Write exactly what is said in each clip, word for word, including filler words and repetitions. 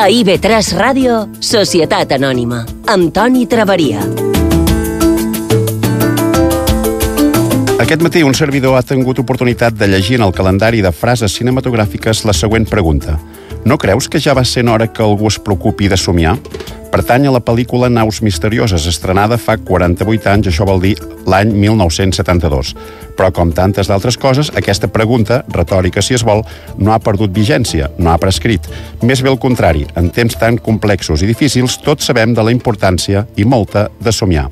A I V tres Ràdio, Societat Anònima, amb Toni Traveria. Aquest matí un servidor ha tingut oportunitat de llegir en el calendari de frases cinematogràfiques la següent pregunta. No creus que ja va sent hora que algú es preocupi de somiar? Pertany a la pel·lícula Naus Misterioses, estrenada fa quaranta-vuit anys, això vol dir l'any mil nou-cents setanta-dos. Però, com tantes d'altres coses, aquesta pregunta, retòrica si es vol, no ha perdut vigència, no ha prescrit. Més bé al contrari, en temps tan complexos i difícils, tots sabem de la importància i molta de somiar.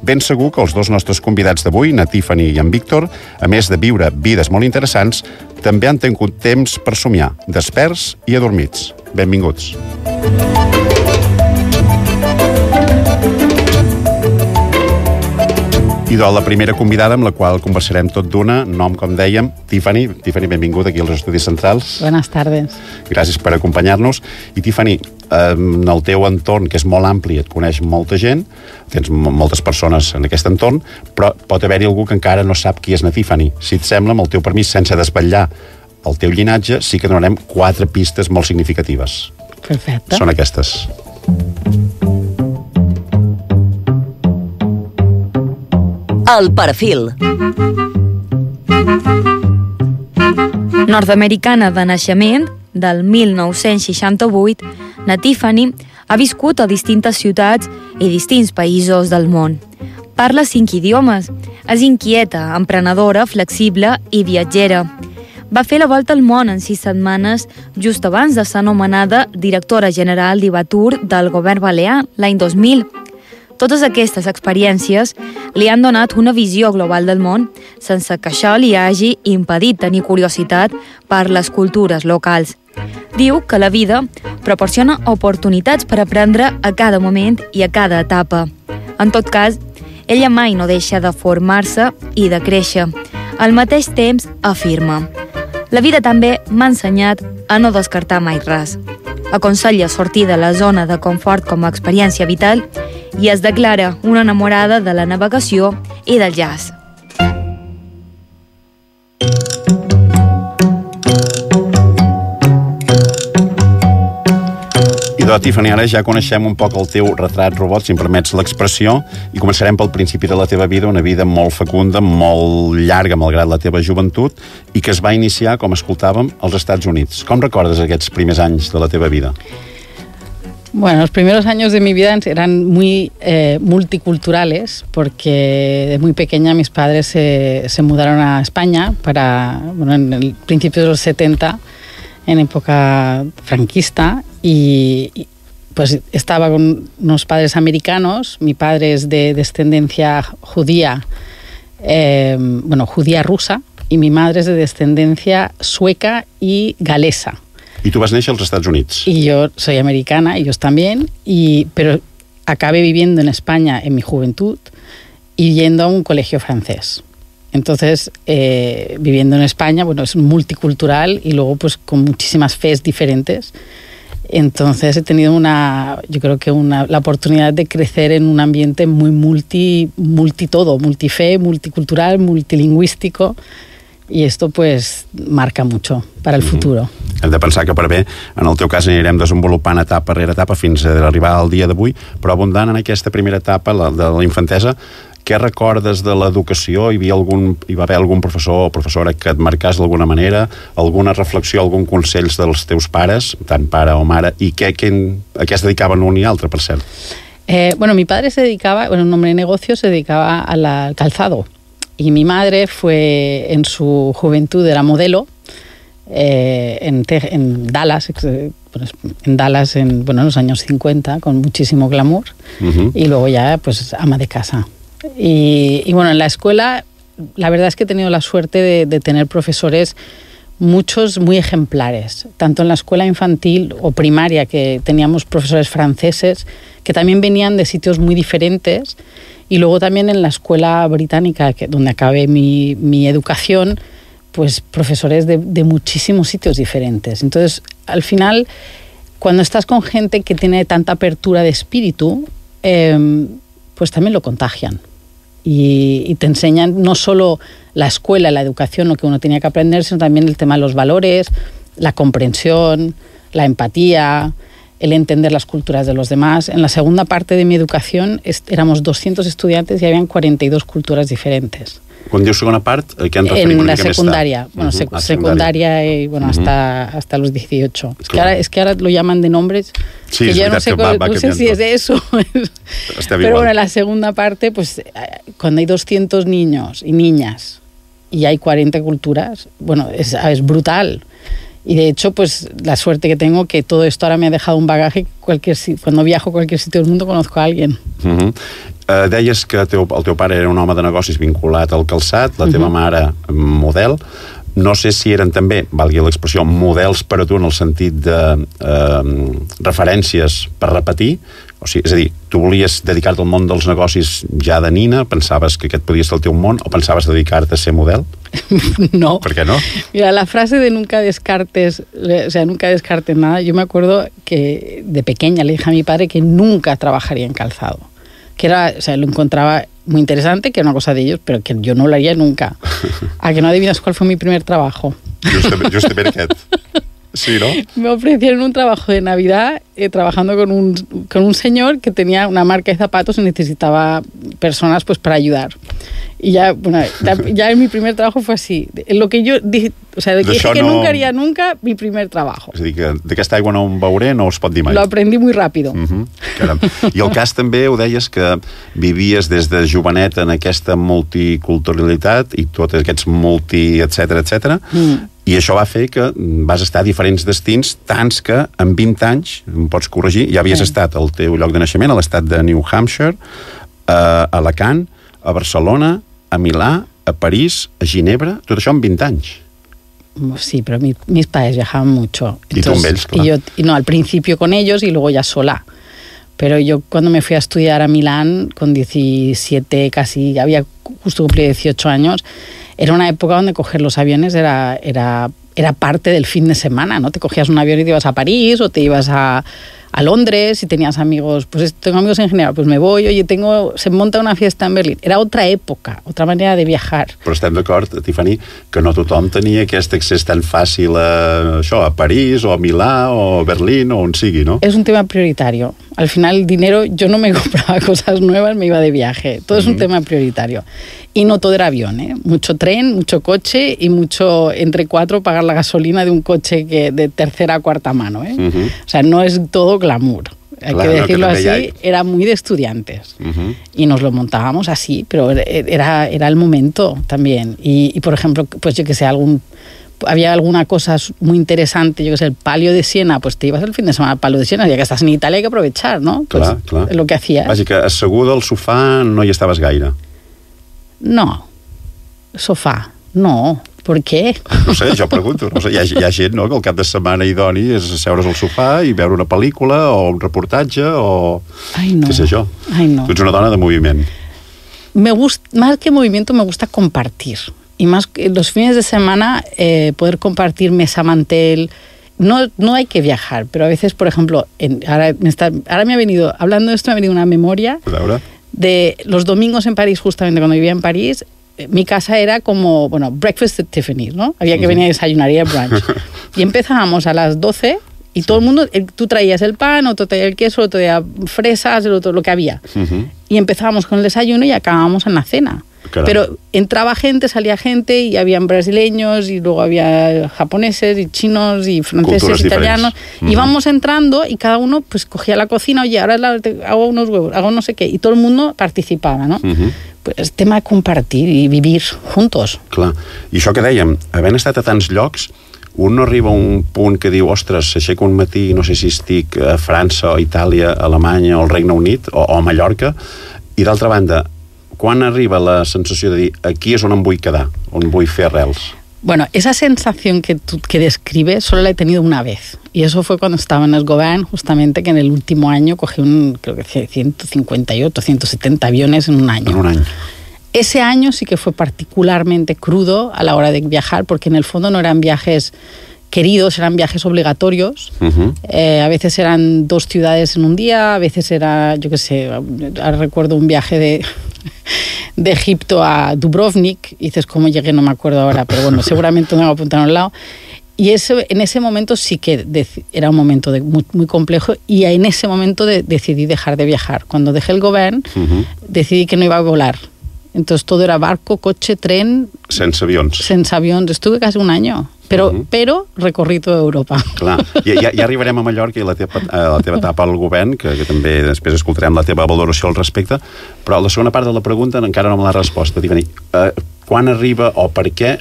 Ben segur que els dos nostres convidats d'avui, na Tiffany i en Víctor, a més de viure vides molt interessants, també han tingut temps per somiar, desperts i adormits. Benvinguts. I doncs la primera convidada amb la qual conversarem tot d'una, nom com dèiem, Tiffany. Tiffany, benvinguda aquí als Estudis Centrals. Buenas tardes. Gràcies per acompanyar-nos. I Tiffany, en el teu entorn, que és molt ampli, et coneix molta gent, tens moltes persones en aquest entorn, però pot haver-hi algú que encara no sap qui és na Tiffany. Si et sembla, amb el teu permís, sense desvetllar el teu llinatge, sí que donarem quatre pistes molt significatives. Perfecte. Són aquestes. El perfil. Nord-americana de naixement, del mil nou-cents seixanta-vuit, na Tiffany ha viscut a distintes ciutats i distints països del món. Parla cinc idiomes, és inquieta, emprenedora, flexible i viatgera. Va fer la volta al món en sis setmanes just abans de ser anomenada directora general d'Ivatur del govern balear l'any dos mil. Totes aquestes experiències li han donat una visió global del món sense que això li hagi impedit tenir curiositat per les cultures locals. Diu que la vida proporciona oportunitats per aprendre a cada moment i a cada etapa. En tot cas, ella mai no deixa de formar-se i de créixer. Al mateix temps, afirma: la vida també m'ha ensenyat a no descartar mai res. Aconsella sortir de la zona de confort com a experiència vital i es declara una enamorada de la navegació i del jazz. I doncs, Tiffany, ara ja coneixem un poc el teu retrat robot, si em permets l'expressió, i començarem pel principi de la teva vida, una vida molt fecunda, molt llarga, malgrat la teva joventut, i que es va iniciar, com escoltàvem, als Estats Units. Com recordes aquests primers anys de la teva vida? Bueno, los primeros años de mi vida eran muy eh, multiculturales porque de muy pequeña mis padres se, se mudaron a España para, bueno, en el principio de los setenta, en época franquista, y, y pues estaba con unos padres americanos. Mi padre es de descendencia judía, eh, bueno, judía rusa, y mi madre es de descendencia sueca y galesa. Y tú vas a nacer en los Estados Unidos. Y yo soy americana, ellos también, y, pero acabé viviendo en España en mi juventud y yendo a un colegio francés. Entonces, eh, viviendo en España, bueno, es multicultural y luego pues con muchísimas fes diferentes. Entonces he tenido una, yo creo que una, la oportunidad de crecer en un ambiente muy multi, multi todo, multife, multicultural, multilingüístico. I esto pues marca mucho para el futuro. Mm-hmm. Hem de pensar que per bé, en el teu cas anirem desenvolupant etapa rere etapa fins a arribar al dia d'avui, però abundant en aquesta primera etapa, la de la infantesa, què recordes de l'educació? Hi havia algun, hi va haver algun professor o professora que et marcàs d'alguna manera, alguna reflexió, algun consell dels teus pares, tant pare o mare, i què, què, a què es dedicaven un i altre, per cert? Eh, bueno, mi padre se dedicaba, bueno, un hombre de negocio, se dedicaba al calzado. Y mi madre fue, en su juventud, era modelo eh, en, en Dallas, en Dallas en, bueno, en los años cincuenta, con muchísimo glamour, uh-huh. Y luego ya pues ama de casa. Y, y bueno, en la escuela, la verdad es que he tenido la suerte de, de tener profesores, muchos muy ejemplares, tanto en la escuela infantil o primaria, que teníamos profesores franceses que también venían de sitios muy diferentes. Y luego también en la escuela británica, que, donde acabé mi, mi educación, pues profesores de, de muchísimos sitios diferentes. Entonces, al final, cuando estás con gente que tiene tanta apertura de espíritu, eh, pues también lo contagian. Y, y te enseñan no solo la escuela, la educación, lo que uno tenía que aprender, sino también el tema de los valores, la comprensión, la empatía, el entender las culturas de los demás. En la segunda parte de mi educación éramos doscientos estudiantes y habían cuarenta y dos culturas diferentes. Quan dius segona part, què en referim? En la secundaria, bueno, uh-huh. sec ah, secundaria y bueno, uh-huh. hasta, hasta los dieciocho. Es que, ahora, es que ahora lo llaman de nombres sí, que yo no sé, que va, va no sé si es eso. Pero igual. Bueno, en la segunda parte, pues cuando hay doscientos niños y niñas y hay cuarenta culturas, bueno, es, es brutal. Y de hecho, pues la suerte que tengo que todo esto ahora me ha dejado un bagaje. Cualquier, cuando viajo a cualquier sitio del mundo conozco a alguien. Uh-huh. Uh, deies que teu, el teu pare era un home de negocis vinculat al calçat, la teva uh-huh. mare model. No sé si eren també, valgui l'expressió, models per a tu en el sentit de uh, referències per repetir. O sigui, és a dir, tu volies dedicar-te al món dels negocis ja de nina? Pensaves que aquest podia ser el teu món? O pensaves dedicar-te a ser model? No. ¿Por qué no? Mira, la frase de nunca descartes, o sea, nunca descartes nada, yo me acuerdo que de pequeña le dije a mi padre que nunca trabajaría en calzado. Que era, o sea, lo encontraba muy interesante, que era una cosa de ellos, pero que yo no lo haría nunca. ¿A que no adivinas cuál fue mi primer trabajo? Justament, justament aquest. Sí, ¿no? Me ofrecieron un trabajo de Navidad eh, trabajando con un, con un señor que tenía una marca de zapatos y necesitaba personas pues para ayudar. Y ya, bueno, ya, ya en mi primer trabajo fue así. Lo que yo dije, o sea, de que dije que no... nunca haría nunca mi primer trabajo. És a dir, que d'aquesta aigua no en veuré, no es pot dir mai. Lo aprendí muy rápido. Uh-huh. Caram. I el cas també, ho deies, que vivies des de jovenet en aquesta multiculturalitat i tots aquests multi, etcètera, etcètera. Mm. I això va fer que vas estar a diferents destins, tants que en vint anys, em pots corregir, ja havies sí. estat al teu lloc de naixement, a l'estat de New Hampshire, a Alacant, a Barcelona, a Milà, a París, a Ginebra, tot això en vint anys. Sí, pero mi, mis padres viajaban mucho. Entonces, y tú en ells, claro. Y yo, y no, al principio con ellos y luego ya sola. Pero yo cuando me fui a estudiar a Milán, con diecisiete, casi, había justo cumplido dieciocho años, era una época donde coger los aviones era, era, era parte del fin de semana, ¿no? Te cogías un avión y te ibas a París o te ibas a, a Londres y tenías amigos, pues tengo amigos en general, pues me voy, oye, tengo, se monta una fiesta en Berlín. Era otra época, otra manera de viajar. Però estem d'acord, Tiffany, que no tothom tenia aquest accés tan fàcil a això, a París o a Milà o a Berlín o on sigui, ¿no? Es un tema prioritario. Al final el dinero, yo no me compraba cosas nuevas, me iba de viaje. Todo mm-hmm. es un tema prioritario. Y no todo era avión, ¿eh? Mucho tren, mucho coche y mucho, entre cuatro, pagar la gasolina de un coche que de tercera a cuarta mano, ¿eh? Uh-huh. O sea, no es todo glamour. Hay claro, que decirlo que así, hay. Era muy de estudiantes. Uh-huh. Y nos lo montábamos así, pero era, era el momento también. Y, y, por ejemplo, pues yo que sé, algún... había alguna cosa muy interesante, yo que sé, el Palio de Siena, pues te ibas el fin de semana al Palio de Siena, ya que estás en Italia hay que aprovechar, ¿no? Pues clar, clar. Lo que hacías. Vaja, que asseguda al sofà no hi estaves gaire. No. Sofà, no. Per què? No sé, jo pregunto. No sé, hi, ha, hi ha gent, no?, que el cap de setmana idoni és asseure's al sofà i veure una pel·lícula o un reportatge o... Ai, no. Què sé jo. Ai, no. Tu ets una dona de moviment. Me gusta, más que movimiento, me gusta compartir. Y más los fines de semana, eh, poder compartir mesa, mantel. No, no hay que viajar, pero a veces, por ejemplo, en, ahora, me está, ahora me ha venido, hablando de esto, me ha venido una memoria de los domingos en París, justamente cuando vivía en París. Mi casa era como, bueno, breakfast at Tiffany's, ¿no? Había que venir a desayunar y a brunch. Y empezábamos a las doce y sí. todo el mundo, tú traías el pan, otro traía el queso, otro traía fresas, el otro lo que había. Uh-huh. Y empezábamos con el desayuno y acabábamos en la cena. Claro. Pero entraba gente, salía gente y habían brasileños y luego había japoneses y chinos y franceses, culturas italianos. Uh-huh. Íbamos entrando y cada uno pues cogía la cocina, oye, ahora la, hago unos huevos, hago no sé qué. Y todo el mundo participava, no? Uh-huh. Pues tema de compartir i vivir juntos. Clar. I això que dèiem, havent estat a tants llocs, un no arriba a un punt que diu, ostres, s'aixeca un matí, no sé si estic a França o Itàlia, Alemanya o el Regne Unit o, o a Mallorca, i d'altra banda, quan arriba la sensació de dir, aquí és on em vull quedar, on vull fer arrels? Bueno, esa sensación que, tú, que describes solo la he tenido una vez. Y eso fue cuando estaba en Esgobern, justamente que en el último año cogí un, creo que ciento cincuenta y ocho, ciento setenta aviones en un año. En un año. Ese año sí que fue particularmente crudo a la hora de viajar, porque en el fondo no eran viajes queridos, eran viajes obligatorios. Uh-huh. Eh, a veces eran dos ciudades en un día, a veces era, yo qué sé, ahora recuerdo un viaje de... de Egipto a Dubrovnik, y dices cómo llegué, no me acuerdo ahora, pero bueno, seguramente me voy a apuntar a un lado, y ese, en ese momento sí que era un momento de, muy, muy complejo, y en ese momento de, decidí dejar de viajar. Cuando dejé el govern, uh-huh. decidí que no iba a volar. Entonces todo era barco, coche, tren... Sense avions. Sense avions. Estuve casi un año, però, uh-huh. però recorri tota Europa. Clar, ja, ja, ja arribarem a Mallorca i la teva, la teva etapa al govern, que, que també després escoltarem la teva valoració al respecte, però la segona part de la pregunta encara no me l'ha resposta. Dic, eh, quan arriba o per què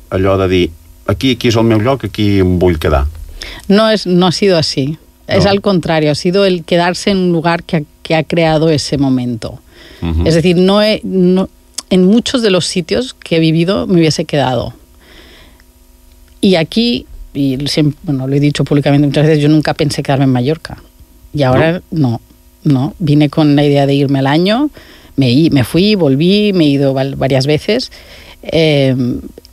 allò de dir aquí, aquí és el meu lloc, aquí em vull quedar? No, es, no ha sido así. No. Es al contrario, ha sido el quedarse en un lugar que ha, que ha creado ese momento. Uh-huh. Es decir, no he... No, en muchos de los sitios que he vivido me hubiese quedado. Y aquí, y siempre, bueno, lo he dicho públicamente muchas veces, yo nunca pensé quedarme en Mallorca. Y ahora no, no. no. Vine con la idea de irme al año, me, me fui, volví, me he ido varias veces. Eh,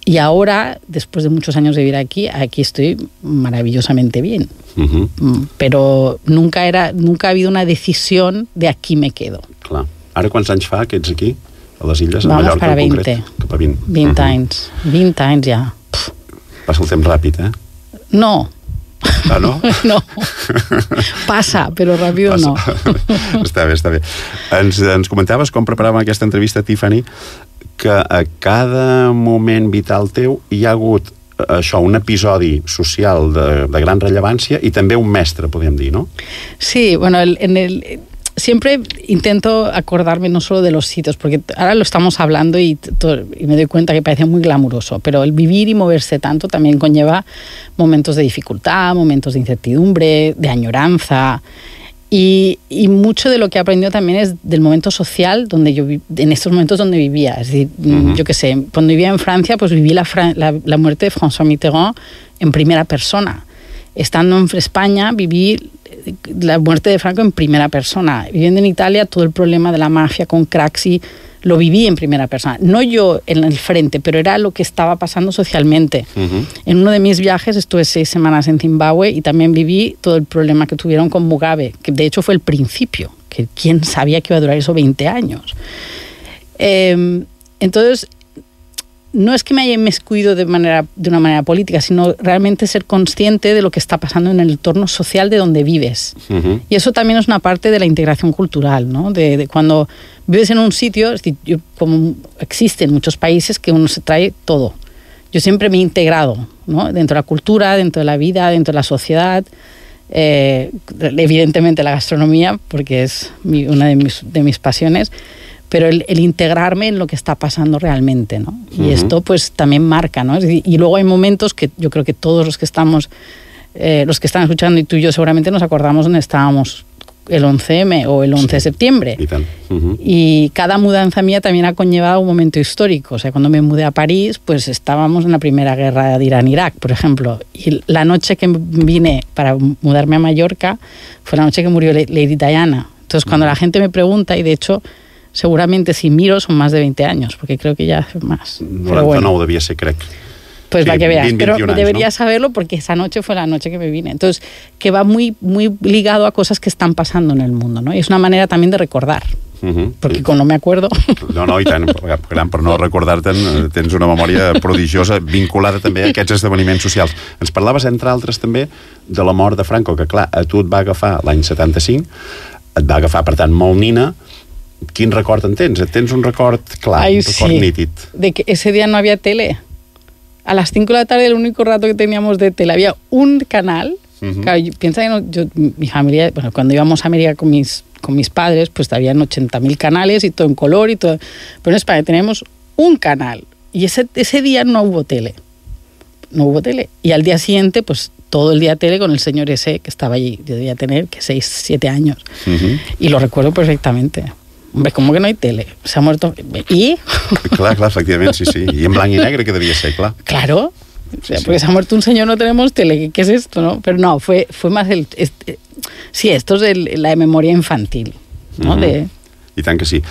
y ahora, después de muchos años de vivir aquí, aquí estoy maravillosamente bien. Uh-huh. Pero nunca, era, nunca ha habido una decisión de aquí me quedo. Clar. Ara quants anys fa que ets aquí? A les illes, Vamos a Mallorca para en veinte. concret? Cap a vint. vint uh-huh. anys. vint anys ja. Pff. Passa el temps ràpid, eh? No. Ah, no? No. Passa, però ràpid no. Està bé, està bé. Ens, ens comentaves, com preparàvem aquesta entrevista, Tiffany, que a cada moment vital teu hi ha hagut això, un episodi social de, de gran rellevància i també un mestre, podríem dir, no? Sí, bueno, el, en el... Siempre intento acordarme no solo de los sitios, porque ahora lo estamos hablando y, todo, y me doy cuenta que parece muy glamuroso, pero el vivir y moverse tanto también conlleva momentos de dificultad, momentos de incertidumbre, de añoranza, y, y mucho de lo que he aprendido también es del momento social donde yo en estos momentos donde vivía. Es decir, uh-huh. yo qué sé, cuando vivía en Francia, pues viví la, la, la muerte de François Mitterrand en primera persona. Estando en España, viví la muerte de Franco en primera persona. Viviendo en Italia, todo el problema de la mafia con Craxi lo viví en primera persona. No yo en el frente, pero era lo que estaba pasando socialmente. Uh-huh. En uno de mis viajes estuve seis semanas en Zimbabue y también viví todo el problema que tuvieron con Mugabe, que de hecho fue el principio, que quién sabía que iba a durar eso veinte años. Eh, entonces... No es que me haya inmiscuido de, manera, de una manera política, sino realmente ser consciente de lo que está pasando en el entorno social de donde vives. Uh-huh. Y eso también es una parte de la integración cultural, ¿no? De, de cuando vives en un sitio, es decir, yo, como existe en muchos países que uno se trae todo. Yo siempre me he integrado, ¿no? Dentro de la cultura, dentro de la vida, dentro de la sociedad. Eh, evidentemente la gastronomía, porque es mi, una de mis, de mis pasiones. Pero el, el integrarme en lo que está pasando realmente, ¿no? Y uh-huh. esto pues también marca, ¿no? Es decir, y luego hay momentos que yo creo que todos los que estamos, eh, los que están escuchando y tú y yo seguramente nos acordamos donde estábamos el once eme o el once sí. de septiembre. Y, tal. Uh-huh. Y cada mudanza mía también ha conllevado un momento histórico. O sea, cuando me mudé a París, pues estábamos en la primera guerra de Irán-Irak, por ejemplo. Y la noche que vine para mudarme a Mallorca fue la noche que murió Lady Diana. Entonces, cuando uh-huh. la gente me pregunta, y de hecho... Seguramente si miro son más de veinte años, porque creo que ya hace más. noranta-nou bueno. Devia ser, crec. Pues sí, para que veas, veinte, pero años, deberías ¿no? saberlo porque esa noche fue la noche que me vine. Entonces, que va muy, muy ligado a cosas que están pasando en el mundo, ¿no? Y es una manera también de recordar. Uh-huh. Perquè quan no me acuerdo... No, no, i tant, gran, per no recordar-te'n, tens una memòria prodigiosa vinculada també a aquests esdeveniments socials. Ens parlaves, entre altres, també de la mort de Franco, que clar, a tu et va agafar l'any setanta-cinc, et va agafar, per tant, molt nina. Quin record en tens? Tens un record clar, Ay, un record sí. nítid. De que ese día no había tele. A las cinco de la tarde el único rato que teníamos de tele había un canal. Uh-huh. Claro, yo, piensa que no, yo, mi familia, bueno, cuando íbamos a América con mis, con mis padres, pues habían ochenta mil canales y todo en color y todo. Pero en España tenemos un canal. Y ese, ese día no hubo tele. No hubo tele. Y al día siguiente, pues todo el día tele con el señor ese que estaba allí. Yo debía tener, que seis, siete años. Uh-huh. Y lo recuerdo perfectamente. Hombre, ¿cómo que no hay tele? Se ha muerto... ¿Y? Clar, clar, efectivament, sí, sí. I en blanc i negre que devia ser, clar. Claro. O sea, sí, porque sí. se ha muerto un señor, no tenemos tele. ¿Qué es esto, no? Pero no, fue, fue más el... Este, sí, esto es el, la memoria infantil, no? Mm-hmm. De... I tant que sí.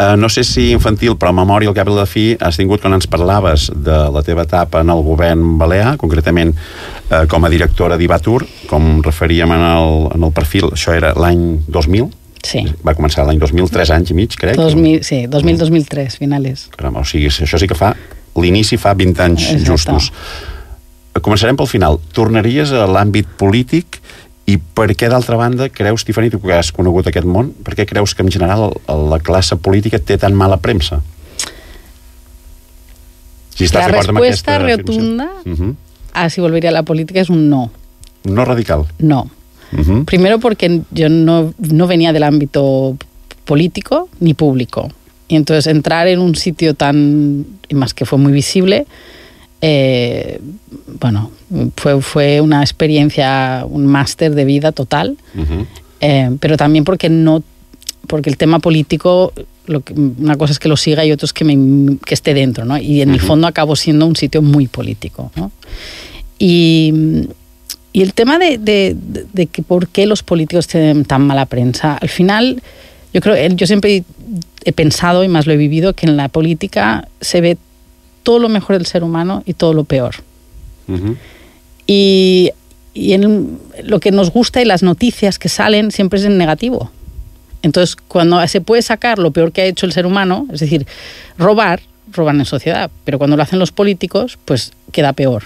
Uh, no sé si infantil, però memòria al cap i a la fi has tingut quan ens parlaves de la teva etapa en el govern balear, concretament uh, com a directora d'Ivatur, com referíem en el, en el perfil, això era l'any dos mil? Sí. Va començar l'any dos mil, tres anys i mig, crec. dos mil, sí, dos mil, dos mil tres, finales. Caram, o sigui, això sí que fa... L'inici fa vint anys Exacte. Justos. començarem pel final. Tornaries a l'àmbit polític i per què, d'altra banda, creus, Tiffany, tu que has conegut aquest món, per què creus que en general la classe política té tan mala premsa? Si la respuesta rotunda uh-huh. a si volvería a la política es un no. ¿Un no radical? No. Uh-huh. Primero porque yo no, no venía del ámbito político ni público. Y entonces entrar en un sitio tan, y más que fue muy visible, eh, bueno, fue, fue una experiencia, un máster de vida total, uh-huh. eh, pero también porque no, porque el tema político, lo que, una cosa es que lo siga y otra es que, me, que esté dentro, ¿no? Y en uh-huh. el fondo acabó siendo un sitio muy político, ¿no? Y, y el tema de, de, de, de que por qué los políticos tienen tan mala prensa, al final, yo creo, yo siempre he pensado y más lo he vivido, que en la política se ve todo lo mejor del ser humano y todo lo peor. Uh-huh. Y, y en lo que nos gusta y las noticias que salen siempre es en negativo. Entonces, cuando se puede sacar lo peor que ha hecho el ser humano, es decir, robar, roban en sociedad, pero cuando lo hacen los políticos, pues queda peor,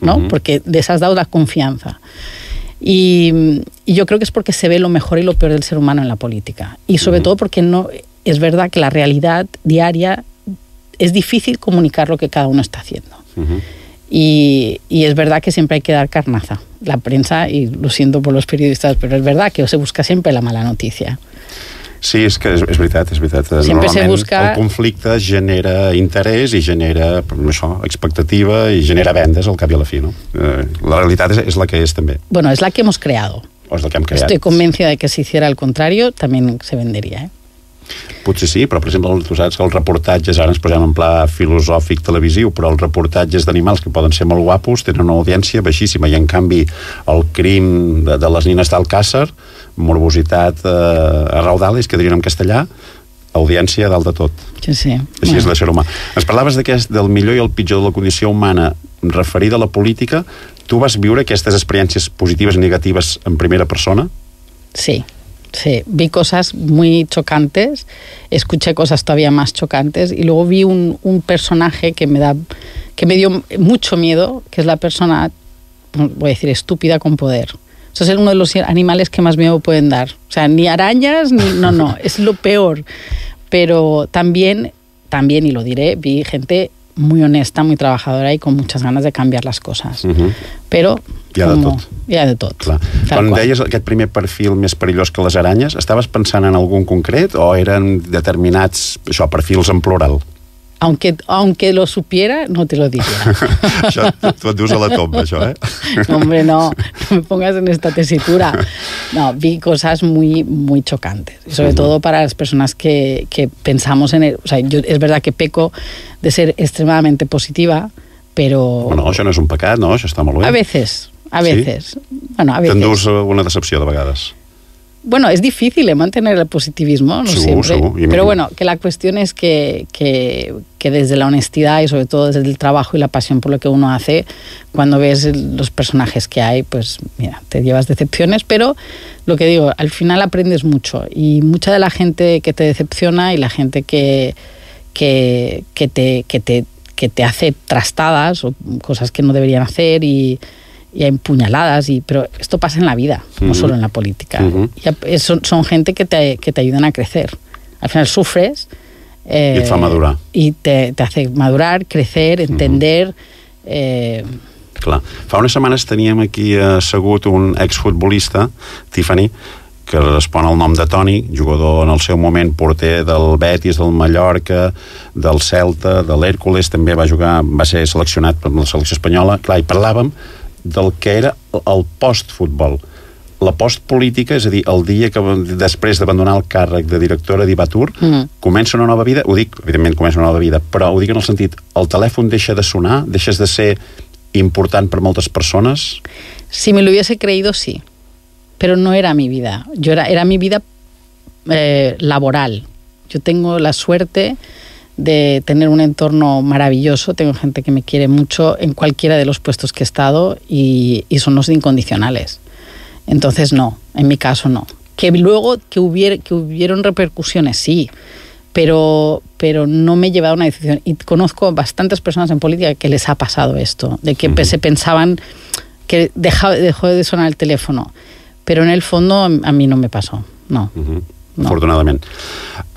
¿no? Uh-huh. Porque les has dado la confianza. Y, y yo creo que es porque se ve lo mejor y lo peor del ser humano en la política. Y sobre uh-huh. todo porque no es verdad que la realidad diaria es difícil comunicar lo que cada uno está haciendo. Uh-huh. Y, y es verdad que siempre hay que dar carnaza. La prensa, y lo siento por los periodistas, però és verdad que se busca sempre la mala notícia. Sí, és que és, és veritat, és veritat. Sempre se busca... el conflicte genera interès i genera això, expectativa i genera vendes al cap i a la fi, no? La realitat és, és la que és també. Bueno, es la que hemos creado. O és la que hem creat. Estoy convencida de que si hiciera el contrario también se vendería, ¿eh? Potser sí, però per exemple tu saps que els reportatges, ara ens posem en pla filosòfic televisiu, però els reportatges d'animals que poden ser molt guapos tenen una audiència baixíssima i en canvi el crim de, de les nines d'Alcàsser, morbositat eh, a raudales, que dirien en castellà, audiència dalt de tot. Sí, sí. Així bueno. És l'ésser humà. Ens parlaves d'aquest, del millor i el pitjor de la condició humana referida a la política. Tu vas viure aquestes experiències positives i negatives en primera persona? Sí. Sí, vi cosas muy chocantes, escuché cosas todavía más chocantes y luego vi un, un personaje que me da, que me dio mucho miedo, que es la persona, voy a decir, estúpida con poder. Eso es uno de los animales que más miedo pueden dar. O sea, ni arañas, ni, no, no, es lo peor. Pero también, también, y lo diré, vi gente muy honesta, muy trabajadora y con muchas ganas de cambiar las cosas. Uh-huh. Però... Hi ha de tot. Hi ha de tot. Clar. Quan qual. Deies aquest primer perfil més perillós que les aranyes, estaves pensant en algun concret o eren determinats, això, perfils en plural? Aunque, aunque lo supiera, no te lo diría. Això, tu et dius a la tomba, això, eh? No, hombre, no, no me pongas en esta tesitura. No, vi cosas muy, muy chocantes. Y sobre uh-huh. todo para las personas que, que pensamos en el... O sea, yo, es verdad que peco de ser extremadamente positiva, pero... Bueno, això no és un pecat, no? Això està molt bé. A veces, a veces. ¿Sí? Bueno, a veces. T'endús una decepció de vegades. Bueno, es difícil ¿eh? mantener el positivismo, no seguro, siempre. Seguro. Pero bueno, que la cuestión es que, que, que desde la honestidad y sobre todo desde el trabajo y la pasión por lo que uno hace, cuando ves los personajes que hay, pues mira, te llevas decepciones, pero lo que digo, al final aprendes mucho y mucha de la gente que te decepciona y la gente que, que, que, te, que, te, que te hace trastadas o cosas que no deberían hacer y... y hay puñaladas, y, pero esto pasa en la vida, uh-huh. no solo en la política. Uh-huh. Y son, son gente que te, que te ayudan a crecer. Al final sufres... Eh, I et fa madurar. I te, te hace madurar, crecer, entender... Uh-huh. eh... Clar. Fa unes setmanes teníem aquí assegut un exfutbolista, Tiffany, que respon al nom de Toni, jugador en el seu moment porter del Betis, del Mallorca, del Celta, de l'Hèrcules, també va jugar, va ser seleccionat per la selecció espanyola. Clar, i parlàvem del que era el postfutbol. La postpolítica, és a dir, el dia que després d'abandonar el càrrec de directora d'Ivatur, mm. comença una nova vida, ho dic, evidentment comença una nova vida, però ho dic en el sentit, el telèfon deixa de sonar, deixes de ser important per moltes persones? Si me lo hubiese creído, sí. Pero no era mi vida. Yo era, era mi vida eh, laboral. Yo tengo la suerte de tener un entorno maravilloso, tengo gente que me quiere mucho en cualquiera de los puestos que he estado y, y son los incondicionales. Entonces no, en mi caso no. Que luego que, hubiera, que hubieron repercusiones, sí, pero, pero no me he llevado a una decisión. Y conozco bastantes personas en política que les ha pasado esto, de que uh-huh. se pensaban que dejó, dejó de sonar el teléfono, però en el fondo a mi no me pasó, no. Uh-huh. No. Afortunadament.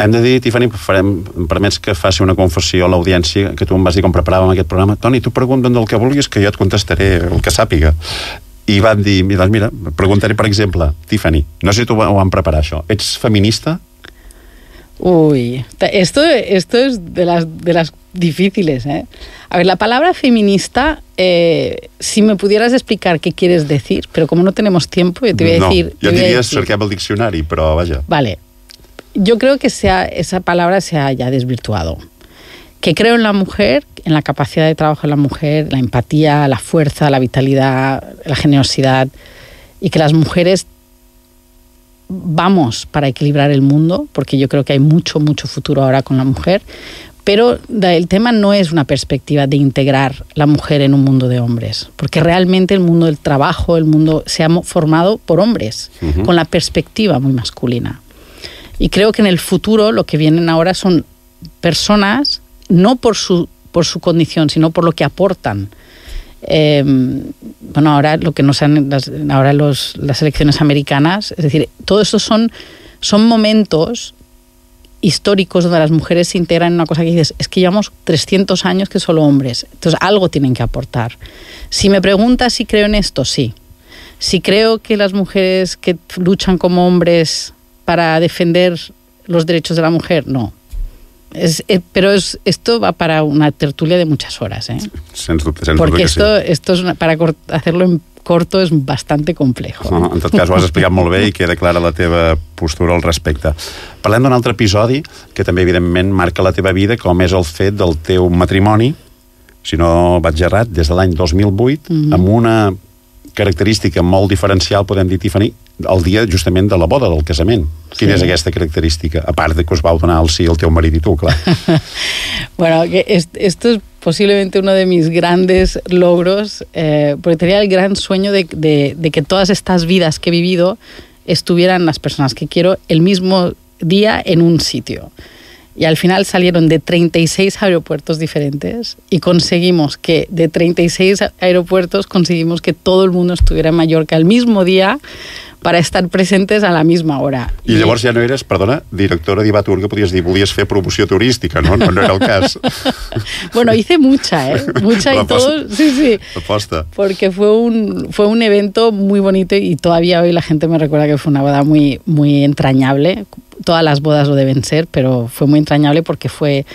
Hem de dir, Tiffany, farem, em permets que faci una confessió a l'audiència, que tu em vas dir com preparàvem aquest programa. Toni, tu pregunta'm del que vulguis, que jo et contestaré el que sàpiga. I van dir, mira, preguntaré, per exemple, Tiffany, no sé si tu ho van preparar, això. Ets feminista? Uy, esto, esto es de las, de las difíciles, ¿eh? A ver, la palabra feminista, eh, si me pudieras explicar qué quieres decir, pero como no tenemos tiempo, yo te voy a decir... No, yo diría cerquem el diccionari, però vaja. Vale. Yo creo que sea, esa palabra se ha ya desvirtuado. Que creo en la mujer, en la capacidad de trabajo de la mujer, la empatía, la fuerza, la vitalidad, la generosidad, y que las mujeres vamos para equilibrar el mundo, porque yo creo que hay mucho, mucho futuro ahora con la mujer, pero el tema no es una perspectiva de integrar la mujer en un mundo de hombres, porque realmente el mundo del trabajo, el mundo se ha formado por hombres, uh-huh. con la perspectiva muy masculina. Y creo que en el futuro lo que vienen ahora son personas, no por su, por su condición, sino por lo que aportan. Eh, bueno, ahora lo que nos han, las, ahora los, las elecciones americanas, es decir, todo esto son, son momentos históricos donde las mujeres se integran en una cosa que dices, es que llevamos trescientos años que solo hombres, entonces algo tienen que aportar. Si me preguntas si creo en esto, sí. Si creo que las mujeres que luchan como hombres para defender los derechos de la mujer, no. Es, eh, pero es, esto va para una tertulia de muchas horas, ¿eh? Sens dubte, sens Porque dubte esto, que sí. esto es una, para cort, hacerlo en corto es bastante complejo. No, en tot cas ho has explicat molt bé i queda clara la teva postura al respecte. Parlem d'un altre episodi que també evidentment marca la teva vida, com és el fet del teu matrimoni, si no vaig errat, des de l'any dos mil vuit, mm-hmm. amb una característica molt diferencial, podem dir, Tiffany, el dia justament de la boda, del casament. Quina sí. és aquesta característica? A part de que us vau donar el sí el teu marit i tu, clar. Bueno, que es, esto es posiblemente uno de mis grandes logros, eh, porque tenía el gran sueño de, de, de que todas estas vidas que he vivido estuvieran las personas que quiero el mismo día en un sitio. Y al final salieron de treinta y seis aeropuertos diferentes y conseguimos que de treinta y seis aeropuertos conseguimos que todo el mundo estuviera en Mallorca el mismo día para estar presentes a la misma hora. I llavors ja no eres, perdona, directora d'Ivatur, que podies dir, volies fer promoció turística, no? No, no era el cas. Bueno, hice mucha, ¿eh? Mucha y todo. Sí, sí. Aposta. Porque fue un, fue un evento muy bonito y todavía hoy la gente me recuerda que fue una boda muy, muy entrañable. Todas las bodas lo deben ser, pero fue muy entrañable porque fue...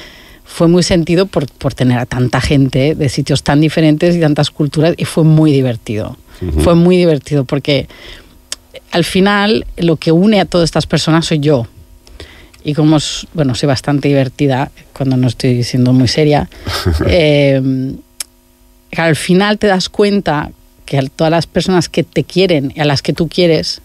fue muy sentido por, por tener a tanta gente de sitios tan diferentes y tantas culturas, y fue muy divertido. Uh-huh. Fue muy divertido porque al final lo que une a todas estas personas soy yo. Y como, bueno, soy bastante divertida cuando no estoy siendo muy seria, eh, al final te das cuenta que a todas las personas que te quieren y a las que tú quieres,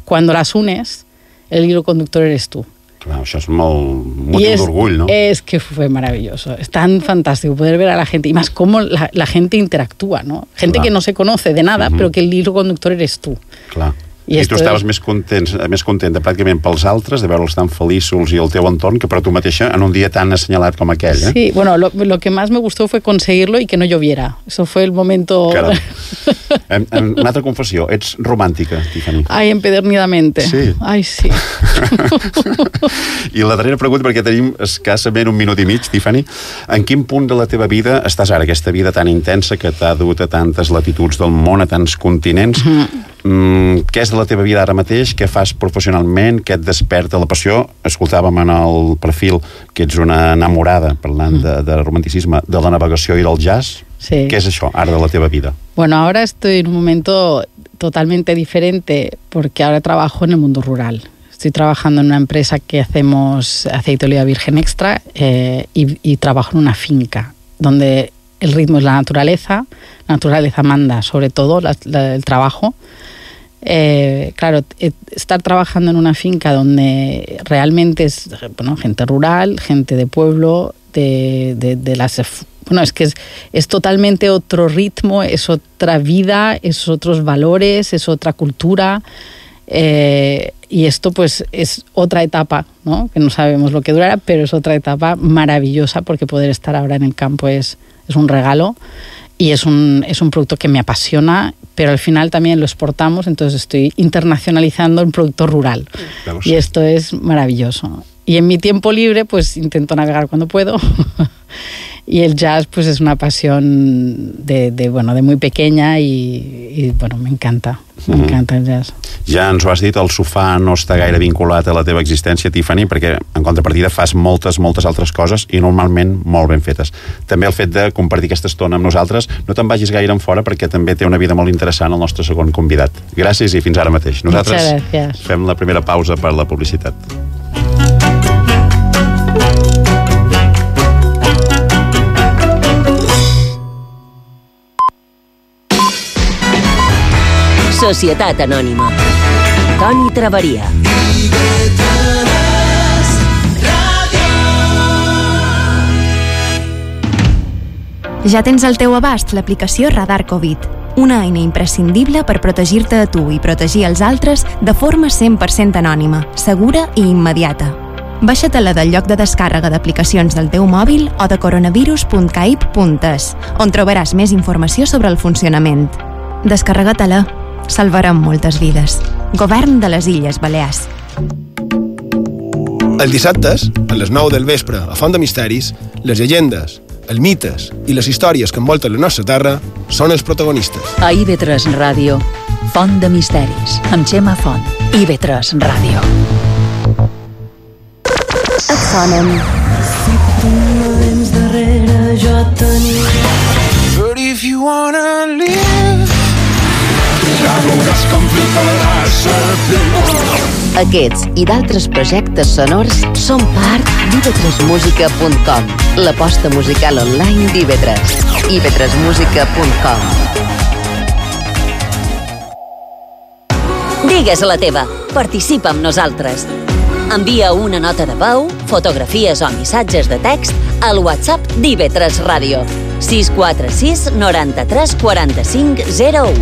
cuando las unes, el hilo conductor eres tú. Claro, això és molt motiu d'orgull, ¿no? Es que fue maravilloso. Es tan fantástico poder ver a la gente. Y más cómo la, la gente interactúa, ¿no? Gente Clar. que no se conoce de nada, uh-huh. pero que el hilo conductor eres tú. Clar. I, I tu estaves és... més, contents, més contenta pràcticament pels altres, de veure'ls tan feliços i el teu entorn, que per tu mateixa en un dia tan assenyalat com aquell, eh? Sí, bueno, lo, lo que más me gustó fue conseguirlo y que no lloviera. Eso fue el momento... Caram. En, en una altra confessió, ets romàntica, Tiffany. Ai, empedernidamente. Sí. Ai, sí. I la darrera pregunta, perquè tenim escassament un minut i mig, Tiffany. En quin punt de la teva vida estàs ara, aquesta vida tan intensa que t'ha dut a tantes latituds del món, a tants continents? Mm. Mm, què és de la teva vida ara mateix? Què fas professionalment? Què et desperta la passió? Escoltàvem en el perfil que ets una enamorada, parlant mm. de, de romanticisme, de la navegació i del jazz. Sí. ¿Qué es eso, ahora de la teva vida? Bueno, ahora estoy en un momento totalmente diferente porque ahora trabajo en el mundo rural. Estoy trabajando en una empresa que hacemos aceite de oliva virgen extra eh, y, y trabajo en una finca donde el ritmo es la naturaleza, la naturaleza manda sobre todo la, la, el trabajo. Eh, claro, estar trabajando en una finca donde realmente es, bueno, gente rural, gente de pueblo, de, de, de las... Bueno, es que es, es totalmente otro ritmo, es otra vida, es otros valores, es otra cultura. Eh, y esto pues es otra etapa, ¿no? Que no sabemos lo que durará, pero es otra etapa maravillosa porque poder estar ahora en el campo es, es un regalo y es un, es un producto que me apasiona, pero al final también lo exportamos, entonces estoy internacionalizando un producto rural. Vamos. Y esto es maravilloso. Y en mi tiempo libre pues intento navegar cuando puedo. Y el jazz pues es una pasión de, de, bueno, de muy pequeña i, i bueno, m'encanta, m'encanta el jazz. Ja ens ho has dit, el sofà no està gaire vinculat a la teva existència, Tiffany, perquè en contrapartida fas moltes, moltes altres coses i normalment molt ben fetes. També el fet de compartir aquesta estona amb nosaltres, no te'n vagis gaire en fora perquè també té una vida molt interessant el nostre segon convidat. Gràcies i fins ara mateix. Nosaltres fem la primera pausa per la publicitat. Societat Anònima. Toni Traveria. Ja tens al teu abast l'aplicació Radar Covid, una eina imprescindible per protegir-te a tu i protegir els altres de forma cent per cent anònima, segura i immediata. Baixa-te-la del lloc de descàrrega d'aplicacions del teu mòbil o de coronavirus punt caip punt es, on trobaràs més informació sobre el funcionament. Descarrega-te-la. Salvarem moltes vides. Govern de les Illes Balears. Els dissabtes, a les nou del vespre, a Font de Misteris, les llegendes, els mites i les històries que envolten la nostra terra són els protagonistes. A I V tres Ràdio, Font de Misteris, amb Gemma Font. I V tres Ràdio. Et sonen. Si tu no vens darrere, jo tenia. But if you wanna live, ja veuràs com fliparàs a Aquests i d'altres projectes sonors són part d'I V tres música punt com, l'aposta musical online d'I V tres. I V tres música punt com. Digues la teva, participa amb nosaltres. Envia una nota de veu, fotografies o missatges de text al WhatsApp d'I V tres Ràdio. sis quatre sis noranta-tres quaranta-cinc zero u.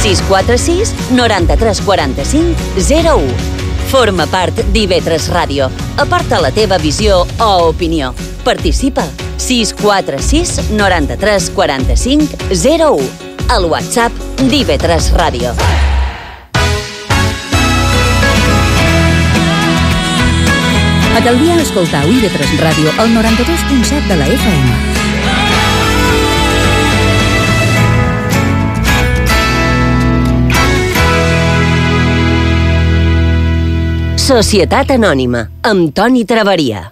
sis quatre sis noranta-tres quaranta-cinc zero u. Forma part d'I V tres Ràdio. Aparta la teva visió o opinió. Participa. sis quatre sis noranta-tres quaranta-cinc zero u. Al WhatsApp d'I V tres Ràdio. A Calvià escoltau I V tres Ràdio al noranta-dos punt set de la F M. Societat Anònima, amb Toni Traveria.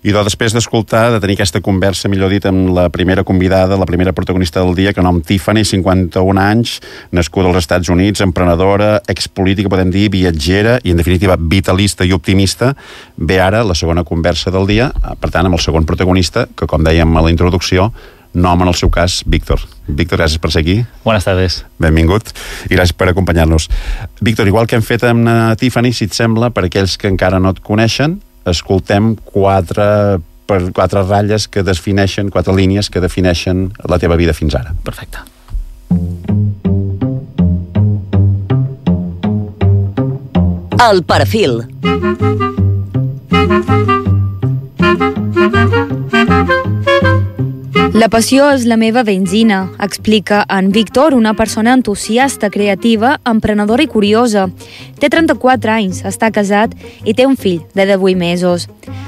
I doncs, després d'escoltar, de tenir aquesta conversa, millor dit, amb la primera convidada, la primera protagonista del dia, que nom Tiffany, cinquanta-un anys, nascuda als Estats Units, emprenedora, expolítica, podem dir, viatgera i, en definitiva, vitalista i optimista, ve ara la segona conversa del dia, per tant, amb el segon protagonista, que, com dèiem a la introducció, nom en el seu cas, Víctor. Víctor, gràcies per ser aquí. Buenas tardes. Benvingut i gràcies per acompanyar-nos. Víctor, igual que hem fet amb Tiffany, si et sembla, per aquells que encara no et coneixen, escoltem quatre, per quatre ratlles que defineixen, quatre línies que defineixen la teva vida fins ara. Perfecte. El perfil. La passió és la meva benzina, explica en Víctor, una persona entusiasta, creativa, emprenedora i curiosa. Té trenta-quatre anys, està casat i té un fill de divuit mesos.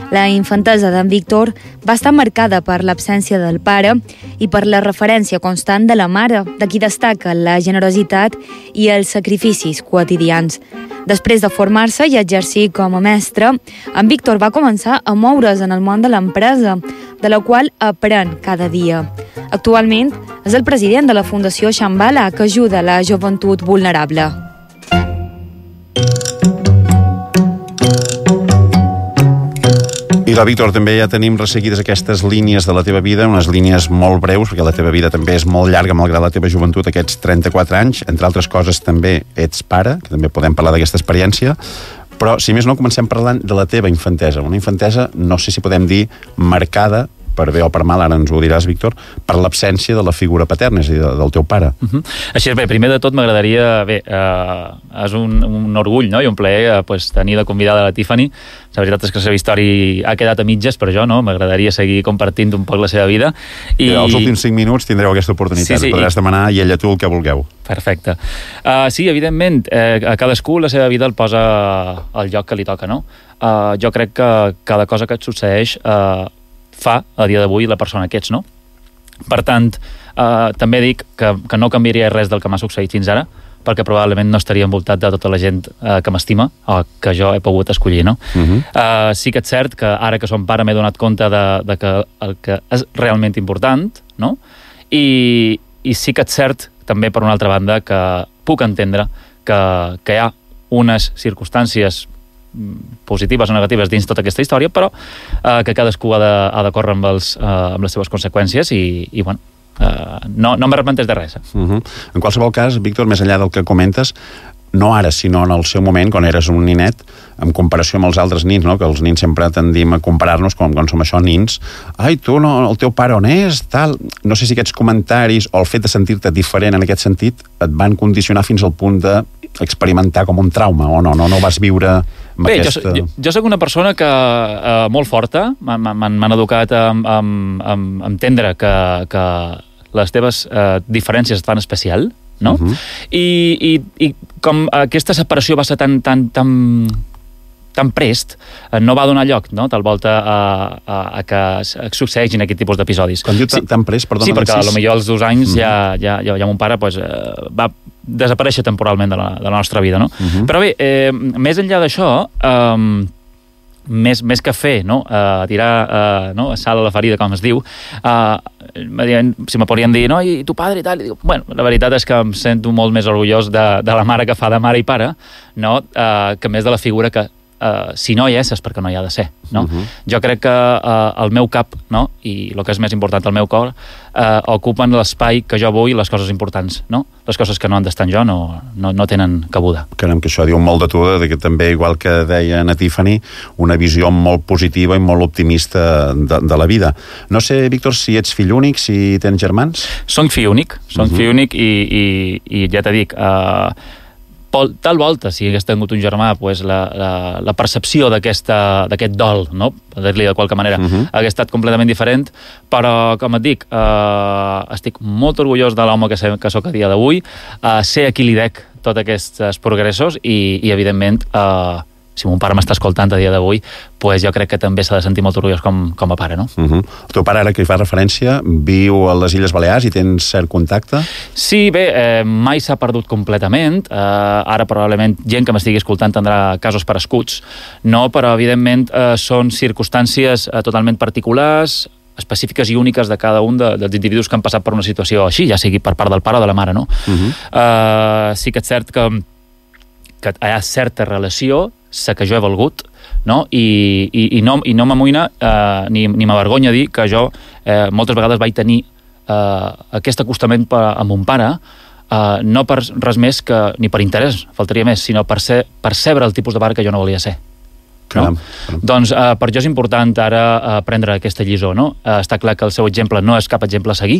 La infantesa d'en Víctor va estar marcada per l'absència del pare i per la referència constant de la mare, de qui destaca la generositat i els sacrificis quotidians. Després de formar-se i exercir com a mestre, en Víctor va començar a moure's en el món de l'empresa, de la qual aprèn cada dia. Actualment és el president de la Fundació Shambhala, que ajuda la joventut vulnerable. I la Víctor, també ja tenim resseguides aquestes línies de la teva vida, unes línies molt breus, perquè la teva vida també és molt llarga, malgrat la teva joventut, aquests trenta-quatre anys. Entre altres coses, també ets pare, que també podem parlar d'aquesta experiència. Però, si més no, comencem parlant de la teva infantesa. Una infantesa, no sé si podem dir, marcada per bé o per mal, ara ens ho diràs, Víctor, per l'absència de la figura paterna, és a dir, del teu pare. Uh-huh. Així és, bé, primer de tot m'agradaria, bé, eh, és un, un orgull, no?, i un plaer eh, pues, tenir de convidada la Tiffany. La veritat és que la seva història ha quedat a mitges, per jo, no? M'agradaria seguir compartint un poc la seva vida. I els últims cinc minuts tindreu aquesta oportunitat, sí, sí, podràs i... demanar i ella tu el que vulgueu. Perfecte. Uh, sí, evidentment, eh, a cadascú la seva vida el posa al lloc que li toca, no? Uh, jo crec que cada cosa que et succeeix uh, fa, a dia d'avui, la persona que ets, no? Per tant, uh, també dic que, que no canviaria res del que m'ha succeït fins ara, perquè probablement no estaria envoltat de tota la gent uh, que m'estima o que jo he pogut escollir, no? Uh-huh. Uh, sí que és cert que ara que som pare m'he donat compte de, de que el que és realment important, no? I, i sí que és cert també, per una altra banda, que puc entendre que, que hi ha unes circumstàncies positives o negatives dins tota aquesta història, però eh, que cadascú ha de, ha de córrer amb, els, eh, amb les seves conseqüències i, i bueno, eh, no, no m'arrepenteix de res. Eh? Uh-huh. En qualsevol cas, Víctor, més enllà del que comentes, no ara, sinó en el seu moment, quan eres un ninet, en comparació amb els altres nins, no? Que els nins sempre tendim a comparar-nos com quan som això, nins. Ai, tu, no, el teu pare on és? Tal. No sé si aquests comentaris o el fet de sentir-te diferent en aquest sentit et van condicionar fins al punt d'experimentar com un trauma, o no? No, no ho vas viure amb Bé, aquesta... jo, jo, jo soc una persona que eh, molt forta, m'han educat a, a, a, a entendre que, que les teves eh, diferències et fan especial, no? Uh-huh. I, i, i com aquesta separació va ser tan, tan, tan, tan prest, no va donar lloc, no?, tal volta a, a, a que succeeixin aquest tipus d'episodis. Quan diu tan, tan prest, perdona... Sí, perquè potser als dos anys uh-huh. ja, ja, ja, ja mon pare pues, va desaparèixer temporalment de la, de la nostra vida, no? Uh-huh. Però bé, eh, més enllà d'això... Eh, Més, més que fer, no? Uh, tirar uh, no? sal a la ferida, com es diu, uh, si me podrien dir, no, i tu padre i tal, i dic, bueno, la veritat és que em sento molt més orgullós de, de la mare que fa de mare i pare, no? Uh, que més de la figura que uh, si no hi és, és perquè no hi ha de ser, no? Uh-huh. Jo crec que uh, el meu cap, no? I el que és més important, el meu cor, uh, ocupen l'espai que jo vull, les coses importants, no? Les coses que no han d'estar en jo no, no, no tenen cabuda. Caram, que això diu molt de tu, de que també, igual que deia na Tiffany, una visió molt positiva i molt optimista de, de la vida. No sé, Víctor, si ets fill únic, si tens germans? Soc fill únic, soc uh-huh. fill únic i, i, i ja t'he dit, uh, tal volta, si hagués tingut un germà, pues la, la, la percepció d'aquest dol, no? Per dir-li de qualque manera, uh-huh. hagués estat completament diferent, però, com et dic, eh, estic molt orgullós de l'home que, sé, que soc a dia d'avui, eh, sé a qui li dec tots aquests progressos i, i evidentment, eh, si mon pare m'està escoltant a dia d'avui, pues jo crec que també s'ha de sentir molt orgullós com, com a pare, no? Uh-huh. El teu pare, ara que hi fa referència, viu a les Illes Balears i tens cert contacte? Sí, bé, eh, mai s'ha perdut completament. Eh, ara probablement gent que m'estigui escoltant tindrà casos perescuts, no? Però evidentment eh, són circumstàncies eh, totalment particulars, específiques i úniques de cada un de, dels individus que han passat per una situació així, ja sigui per part del pare o de la mare, no? Uh-huh. Eh, sí que és cert que, que hi ha certa relació, sé que jo he valgut, no? I, i, i no, i no m'amoïna eh, ni, ni m'avergonya dir que jo eh, moltes vegades vaig tenir eh, aquest acostament per, amb mon pare, eh, no per res més que, ni per interès, faltaria més, sinó per ser, percebre el tipus de pare que jo no volia ser. Caram, no? caram. Doncs eh, per jo és important ara eh, prendre aquesta lliçó, no? Eh, està clar que el seu exemple no és cap exemple a seguir,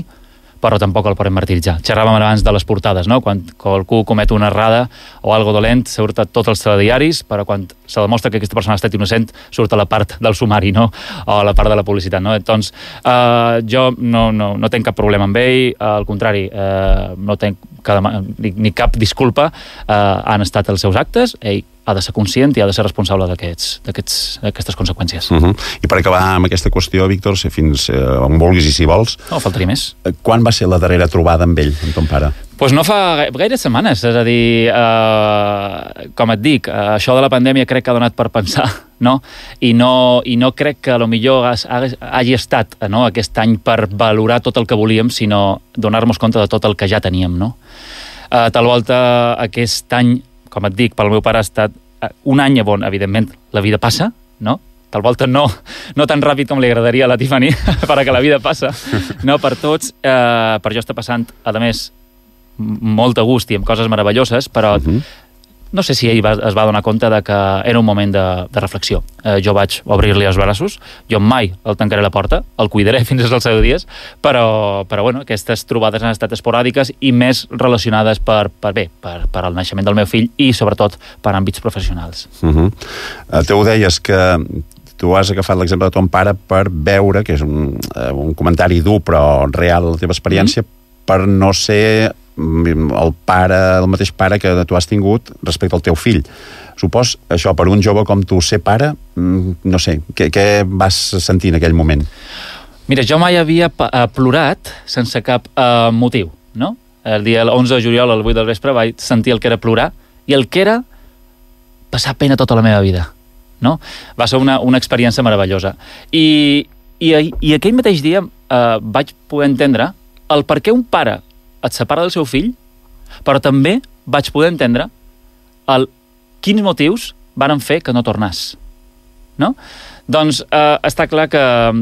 però tampoc el podem martiritzar. Xerràvem abans de les portades, no? Quan qualcú comet una errada o algo dolent, surt a tots els telediaris, però quan se demostra que aquesta persona ha estat innocent, surt a la part del sumari, no? O a la part de la publicitat, no? Doncs eh, jo no, no, no tenc cap problema amb ell, al contrari, eh, no tenc cada, ni, ni cap disculpa, eh, han estat els seus actes, ell ha de ser conscient i ha de ser responsable d'aquestes conseqüències. Uh-huh. I per acabar amb aquesta qüestió, Víctor, si fins eh, on vulguis i si vols... No, faltaria més. Quan va ser la darrera trobada amb ell, amb ton pare? Doncs pues no fa gaires setmanes, és a dir, eh, com et dic, eh, això de la pandèmia crec que ha donat per pensar, no? I no, i no crec que potser hagi estat, no, aquest any per valorar tot el que volíem, sinó donar-nos compte de tot el que ja teníem, no? Eh, tal volta aquest any, com et dic, pel meu pare ha estat un any on, evidentment, la vida passa, no? Tal volta no, no tan ràpid com li agradaria a la Tiffany, però que la vida passa, no? Per tots, eh, per jo està passant, a més, molt a gust i amb coses meravelloses, però uh-huh. no sé si ell va, es va donar compte de que era un moment de, de reflexió. Eh, jo vaig obrir-li els braços, jo mai el tancaré la porta, el cuidaré fins als seus dies, però, però bueno, aquestes trobades han estat esporàdiques i més relacionades per, per bé, per, per el naixement del meu fill i sobretot per àmbits professionals. Uh-huh. Uh, tu ho deies que tu has agafat l'exemple de ton pare per veure, que és un, uh, un comentari dur però real la teva experiència, mm-hmm. per no ser el pare, el mateix pare que tu has tingut respecte al teu fill. Supos, això, per un jove com tu, ser pare, no sé, què, què vas sentir en aquell moment? Mira, jo mai havia plorat sense cap uh, motiu, no? El dia onze de juliol, al vuit del vespre, vaig sentir el que era plorar i el que era passar pena tota la meva vida, no? Va ser una, una experiència meravellosa. I, i, i aquell mateix dia uh, vaig poder entendre el per què un pare et separa del seu fill, però també vaig poder entendre el quins motius varen fer que no tornàs. No? Doncs eh, està clar que,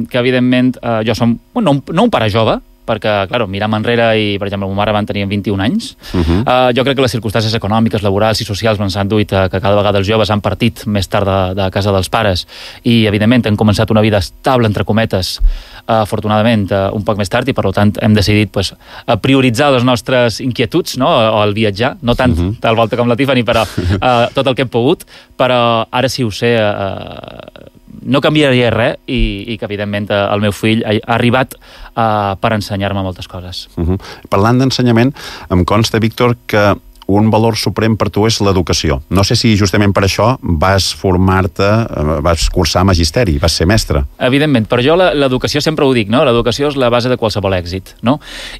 que evidentment, eh, jo som bueno, no, un, no un pare jove, perquè, clar, miram enrere i, per exemple, ma mare van tenir vint-i-un anys. Uh-huh. Uh, jo crec que les circumstàncies econòmiques, laborals i socials ens han duit a que cada vegada els joves han partit més tard de, de casa dels pares i, evidentment, han començat una vida estable, entre cometes, uh, afortunadament, uh, un poc més tard, i, per tant, hem decidit pues, a prioritzar les nostres inquietuds, no?, o el viatjar, no tant uh-huh. tal volta com la Tiffany, però uh, tot el que hem pogut, però ara sí ho sé, uh, no canviaria res i, i que, evidentment, el meu fill ha, ha arribat uh, per ensenyar-me moltes coses. Uh-huh. Parlant d'ensenyament, em consta, Víctor, que un valor suprem per tu és l'educació. No sé si justament per això vas formar-te, vas cursar magisteri, vas ser mestre. Evidentment, per jo l'educació sempre ho dic, no? L'educació és la base de qualsevol èxit, no?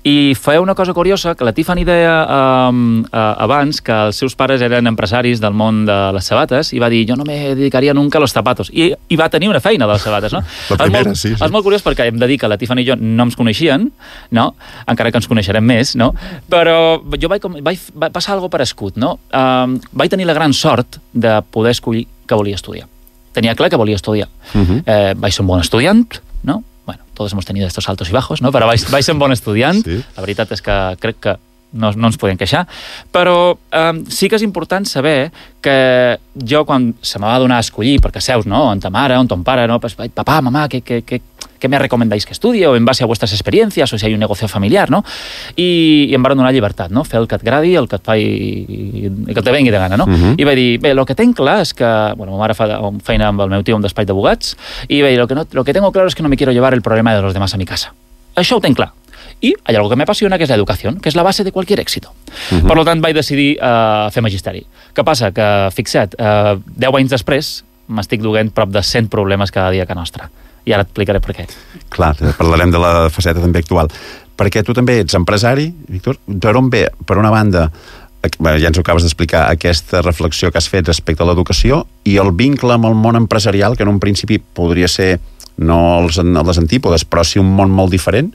I feia una cosa curiosa, que la Tiffany deia um, uh, abans que els seus pares eren empresaris del món de les sabates i va dir, jo no me dedicaria nunca a los zapatos. I, i va tenir una feina de les sabates, no? La primera, molt, sí, sí. És molt curiós perquè hem de dir que la Tiffany i jo no ens coneixien, no? Encara que ens coneixerem més, no? Però jo vaig, vaig, vaig passar algo parescut, no? Um, vaig tenir la gran sort de poder escollir que volia estudiar. Tenia clar que volia estudiar. Uh-huh. Eh, vaig ser un bon estudiant, no? Bueno, todos hemos tenido estos altos y bajos, no? Però vaig, vaig ser un bon estudiant. Sí. La veritat és que crec que no, no ens podem queixar, però um, sí que és important saber que jo, quan se me va donar a escollir, perquè seus, no?, on ta mare, on ton pare, no?, pues, papá, mamá, ¿qué, qué, qué, qué me recomendáis que estudie, o en base a vuestras experiencias, o si hay un negocio familiar, no? I, i em van donar llibertat, no?, fer el que et gradi, el que et fa i, i, i que te vengui de gana, no? Uh-huh. I vaig dir, bé, el que tenc clar és que, bueno, ma mare fa feina amb el meu tio a un despatx d'abogats, i vaig dir, lo que, no, lo que tengo claro es que no me quiero llevar el problema de los demás a mi casa. Això ho tenc clar. I hay algo que me apasiona, que és l'educació, que és la base de qualsevol èxit. Uh-huh. Per tant, vaig decidir uh, fer magisteri. Què passa? Que, fixa't, uh, deu anys després m'estic duent prop de cent problemes cada dia a casa nostra. I ara et explicaré per què. Clar, parlarem de la faceta també actual. Perquè tu també ets empresari, Víctor. Per on ve, per una banda, ja ens ho acabes d'explicar, aquesta reflexió que has fet respecte a l'educació i el vincle amb el món empresarial, que en un principi podria ser no els, les antípodes, però sí un món molt diferent.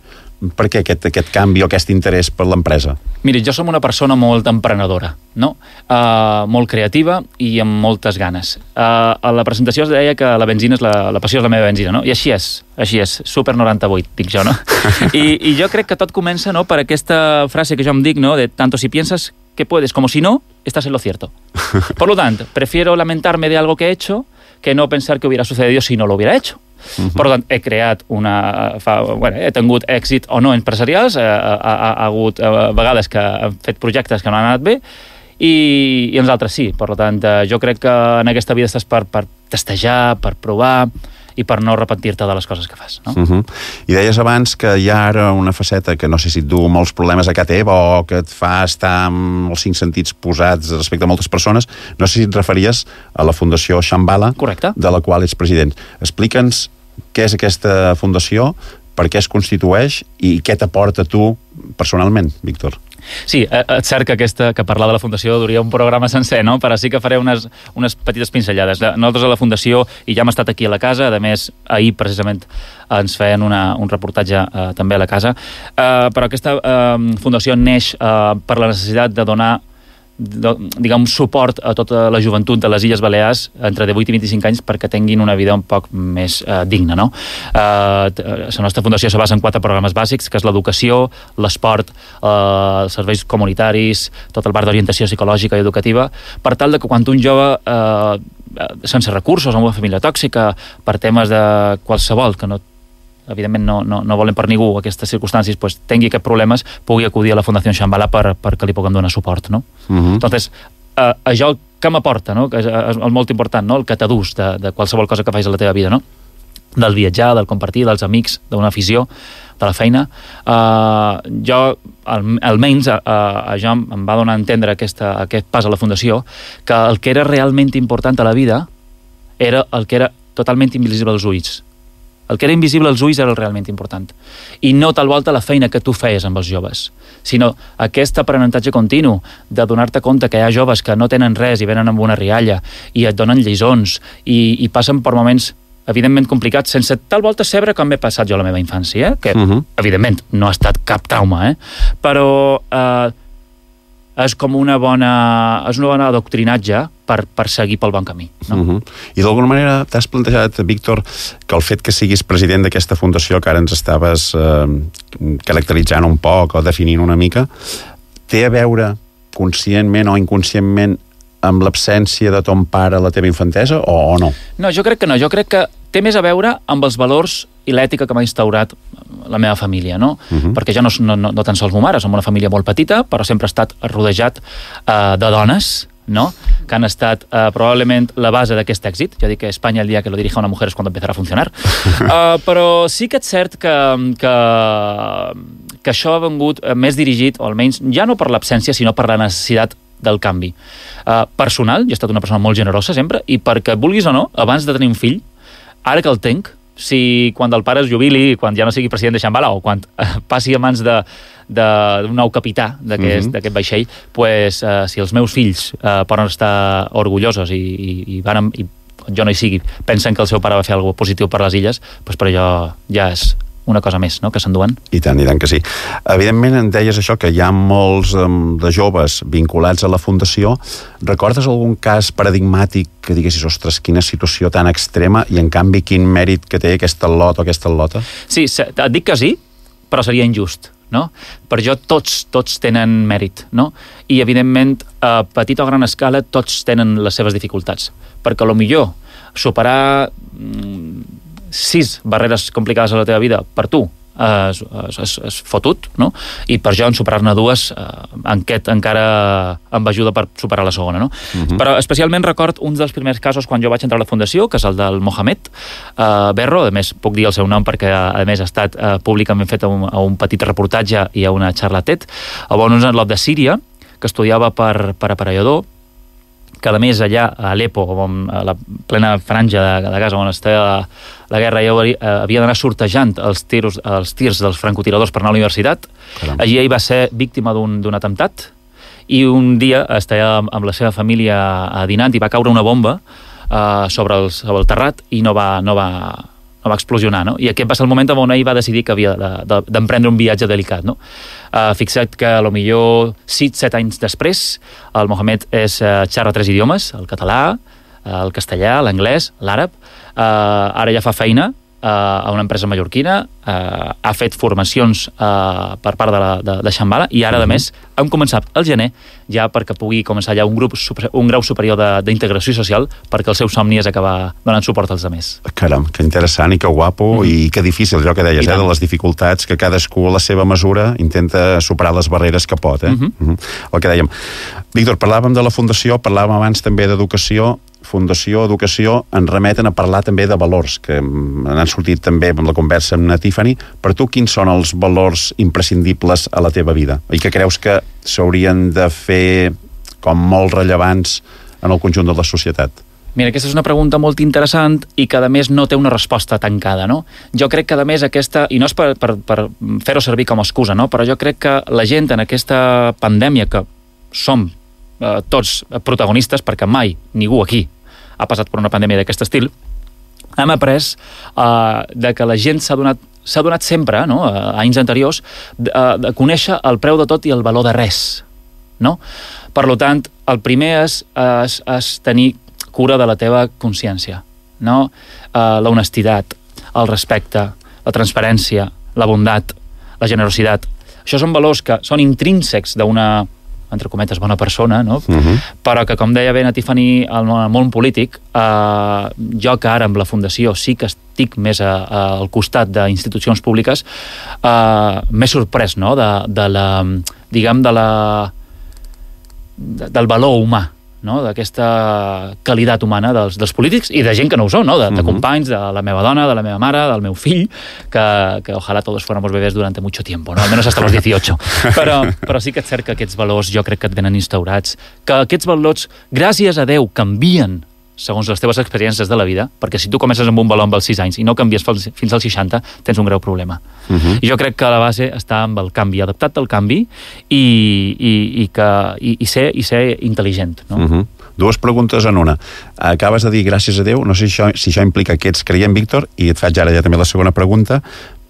Per què aquest, aquest canvi o aquest interès per l'empresa? Mira, jo som una persona molt emprenedora, no? Uh, molt creativa i amb moltes ganes. Uh, a la presentació es deia que la benzina és la, la passió és la meva benzina, no? I així és, així és, super noranta-vuit, dic jo, no? I, I jo crec que tot comença, no?, per aquesta frase que jo em dic, no?, de tanto si piensas que puedes como si no, estás en lo cierto. Por lo tanto, prefiero lamentarme de algo que he hecho que no pensar que hubiera sucedido si no lo hubiera hecho. Uh-huh. Per tant, he creat una... Fa, bueno, he tingut èxit o no empresarials, ha, ha, ha hagut uh, vegades que han fet projectes que no han anat bé i, i els altres sí. Per tant, uh, jo crec que en aquesta vida estàs per, per testejar, per provar i per no repentir-te de les coses que fas, no? Uh-huh. I deies abans que hi ha ara una faceta que no sé si et du molts problemes a casa teva o que et fa estar amb els cinc sentits posats respecte a moltes persones. No sé si et referies a la Fundació Shambhala, correcte, de la qual ets president. Explica'ns què és aquesta fundació, per què es constitueix i què t'aporta tu personalment, Víctor. Sí, és cert que, aquesta, que parlar de la Fundació duria un programa sencer, no? Però sí que faré unes, unes petites pinzellades. Nosaltres a la Fundació, i ja hem estat aquí a la casa, a més, ahir precisament ens feien una, un reportatge eh, també a la casa, eh, però aquesta eh, Fundació neix eh, per la necessitat de donar diguem, suport a tota la joventut de les Illes Balears entre divuit i vint-i-cinc anys perquè tinguin una vida un poc més eh, digna, no? Eh, la nostra fundació se basa en quatre programes bàsics, que és l'educació, l'esport, eh, els serveis comunitaris, tot el bar d'orientació psicològica i educativa, per tal de que quan un jove eh, sense recursos, amb una família tòxica, per temes de qualsevol, que no evidentment no, no, no volen per ningú aquestes circumstàncies, pues, tingui aquests problemes, pugui acudir a la Fundació Shambhala per, perquè li puguem donar suport, no? Uh-huh. Entonces, eh, això que m'aporta, no? Que és, és molt important, no? El que t'adús de, de qualsevol cosa que facis a la teva vida, no? Del viatjar, del compartir, dels amics, d'una afició, de la feina. Uh, jo, al, almenys, uh, això em va donar a entendre aquesta, aquest pas a la Fundació, que el que era realment important a la vida era el que era totalment invisible als ulls. El que era invisible als ulls era el realment important. I no tal volta la feina que tu feies amb els joves, sinó aquest aprenentatge continu de donar-te compte que hi ha joves que no tenen res i venen amb una rialla i et donen lliçons i, i passen per moments evidentment complicats, sense tal volta saber com m'he passat jo la meva infància, eh? Que uh-huh. evidentment no ha estat cap trauma, eh? Però eh, és com una bona és una bona adoctrinatge per, per seguir pel bon camí, no? Uh-huh. I d'alguna manera t'has plantejat, Víctor, que el fet que siguis president d'aquesta fundació que ara ens estaves eh, caracteritzant un poc o definint una mica, té a veure conscientment o inconscientment amb l'absència de ton pare a la teva infantesa o, o no? No, jo crec que no. Jo crec que té més a veure amb els valors i l'ètica que m'ha instaurat la meva família, no? Uh-huh. Perquè jo no, no, no tan sols ma mare, som una família molt petita, però sempre he estat rodejat uh, de dones, no? Que han estat uh, probablement la base d'aquest èxit. Jo dic que Espanya el dia que lo dirija una mujer és quan empezarà a funcionar. uh, però sí que és cert que, que, que això ha vengut més dirigit, o almenys ja no per l'absència, sinó per la necessitat del canvi. Uh, personal, jo he estat una persona molt generosa sempre, i perquè vulguis o no, abans de tenir un fill, ara que el tenc, si quan el pare es jubili, quan ja no sigui president de Shambhala, o quan uh, passi a mans de, de, d'un nou capità d'aquest, mm-hmm. d'aquest vaixell, pues, uh, si els meus fills uh, poden estar orgullosos i, i, i, van, i jo no hi sigui, pensen que el seu pare va fer alguna cosa positiu per les illes, pues per allò ja és una cosa més, no?, que s'enduen. I tant, i tant que sí. Evidentment, en deies això, que hi ha molts um, de joves vinculats a la Fundació. Recordes algun cas paradigmàtic que diguessis, ostres, quina situació tan extrema, i en canvi quin mèrit que té aquesta lot o aquesta lota? Sí, et dic que sí, però seria injust, no? Per jo tots, tots tenen mèrit, no? I, evidentment, a petita o gran escala, tots tenen les seves dificultats. Perquè, a lo millor, superar mm, sis barreres complicades a la teva vida per tu és, és, és fotut, no? I per jo en superar-ne dues eh, aquest encara em ajuda per superar la segona, no? Uh-huh. Però especialment record un dels primers casos quan jo vaig entrar a la Fundació, que és el del Mohamed eh, Berro. A més puc dir el seu nom perquè a més ha estat eh, públicament fet a un, a un petit reportatge i a una xarra TED, on un atlot de Síria que estudiava per, per aparellador, que a més allà a Alepo, a la plena franja de, de Gaza on està la, la guerra, ja havia d'anar sortejant els tirs, els tirs dels francotiradors per anar a la universitat. Caram. Allí ell va ser víctima d'un, d'un atemptat i un dia estava amb la seva família dinant i va caure una bomba uh, sobre, el, sobre el terrat i no va, no va, no va explosionar, no? I aquest va ser el moment on ell va decidir que havia de, de, d'emprendre un viatge delicat, no? Uh, fixa't que a lo millor sis set anys després el Mohamed és, uh, xerra tres idiomes, el català, uh, el castellà, l'anglès, l'àrab. Uh, ara ja fa feina uh, a una empresa mallorquina, uh, ha fet formacions uh, per part de, la, de, de Shambhala i ara, uh-huh. a més, hem començat al gener ja perquè pugui començar ja un, grup, un grau superior d'integració social perquè el seu somni és acabar donant suport als altres. Caram, que interessant i que guapo, mm. i que difícil, allò que deies, eh, de les dificultats que cadascú a la seva mesura intenta superar les barreres que pot, eh? Mm-hmm. Mm-hmm. El que dèiem. Víctor, parlàvem de la Fundació, parlàvem abans també d'educació. Fundació, educació, ens remeten a parlar també de valors, que han sortit també amb la conversa amb na Tiffany. Per tu, quins són els valors imprescindibles a la teva vida? I que creus que s'haurien de fer com molt rellevants en el conjunt de la societat? Mira, aquesta és una pregunta molt interessant i que, a més, no té una resposta tancada, no? Jo crec que, a més, aquesta... I no és per, per, per fer-ho servir com a excusa, no? Però jo crec que la gent en aquesta pandèmia, que som eh, tots protagonistes, perquè mai ningú aquí ha passat per una pandèmia d'aquest estil, hem après eh, de que la gent s'ha donat, s'ha donat sempre, no? A anys anteriors, de, de conèixer el preu de tot i el valor de res. no? Per tant, el primer és, és, és tenir cura de la teva consciència, no? Uh, la honestitat, el respecte, la transparència, la bondat, la generositat. Això són valors que són intrínsecs d'una, entre cometes, bona persona, no? Uh-huh. Però que, com deia bé la Tiffany, al món polític, eh, jo que ara amb la Fundació sí que estic més a, a, al costat d'institucions públiques, eh, m'he sorprès, no?, de, de la, diguem, de la, de, del valor humà, no?, d'aquesta qualitat humana dels, dels polítics i de gent que no ho són, no?, de, de companys, de la meva dona, de la meva mare, del meu fill, que, que ojalà todos fuéramos bebés durante mucho tiempo, no?, almenys hasta los dieciocho. Però, però sí que és cert que aquests valors jo crec que et venen instaurats, que aquests valors, gràcies a Déu, canvien segons les teves experiències de la vida, perquè si tu comences amb un valor amb els sis anys i no canvies fins als seixanta, tens un greu problema. Uh-huh. I jo crec que la base està amb el canvi, adaptat al canvi i, i, i, que, i, i, ser, i ser intel·ligent. No? Uh-huh. Dues preguntes en una. Acabes de dir gràcies a Déu, no sé si això, si això implica que ets creient, Víctor, i et faig ara ja també la segona pregunta.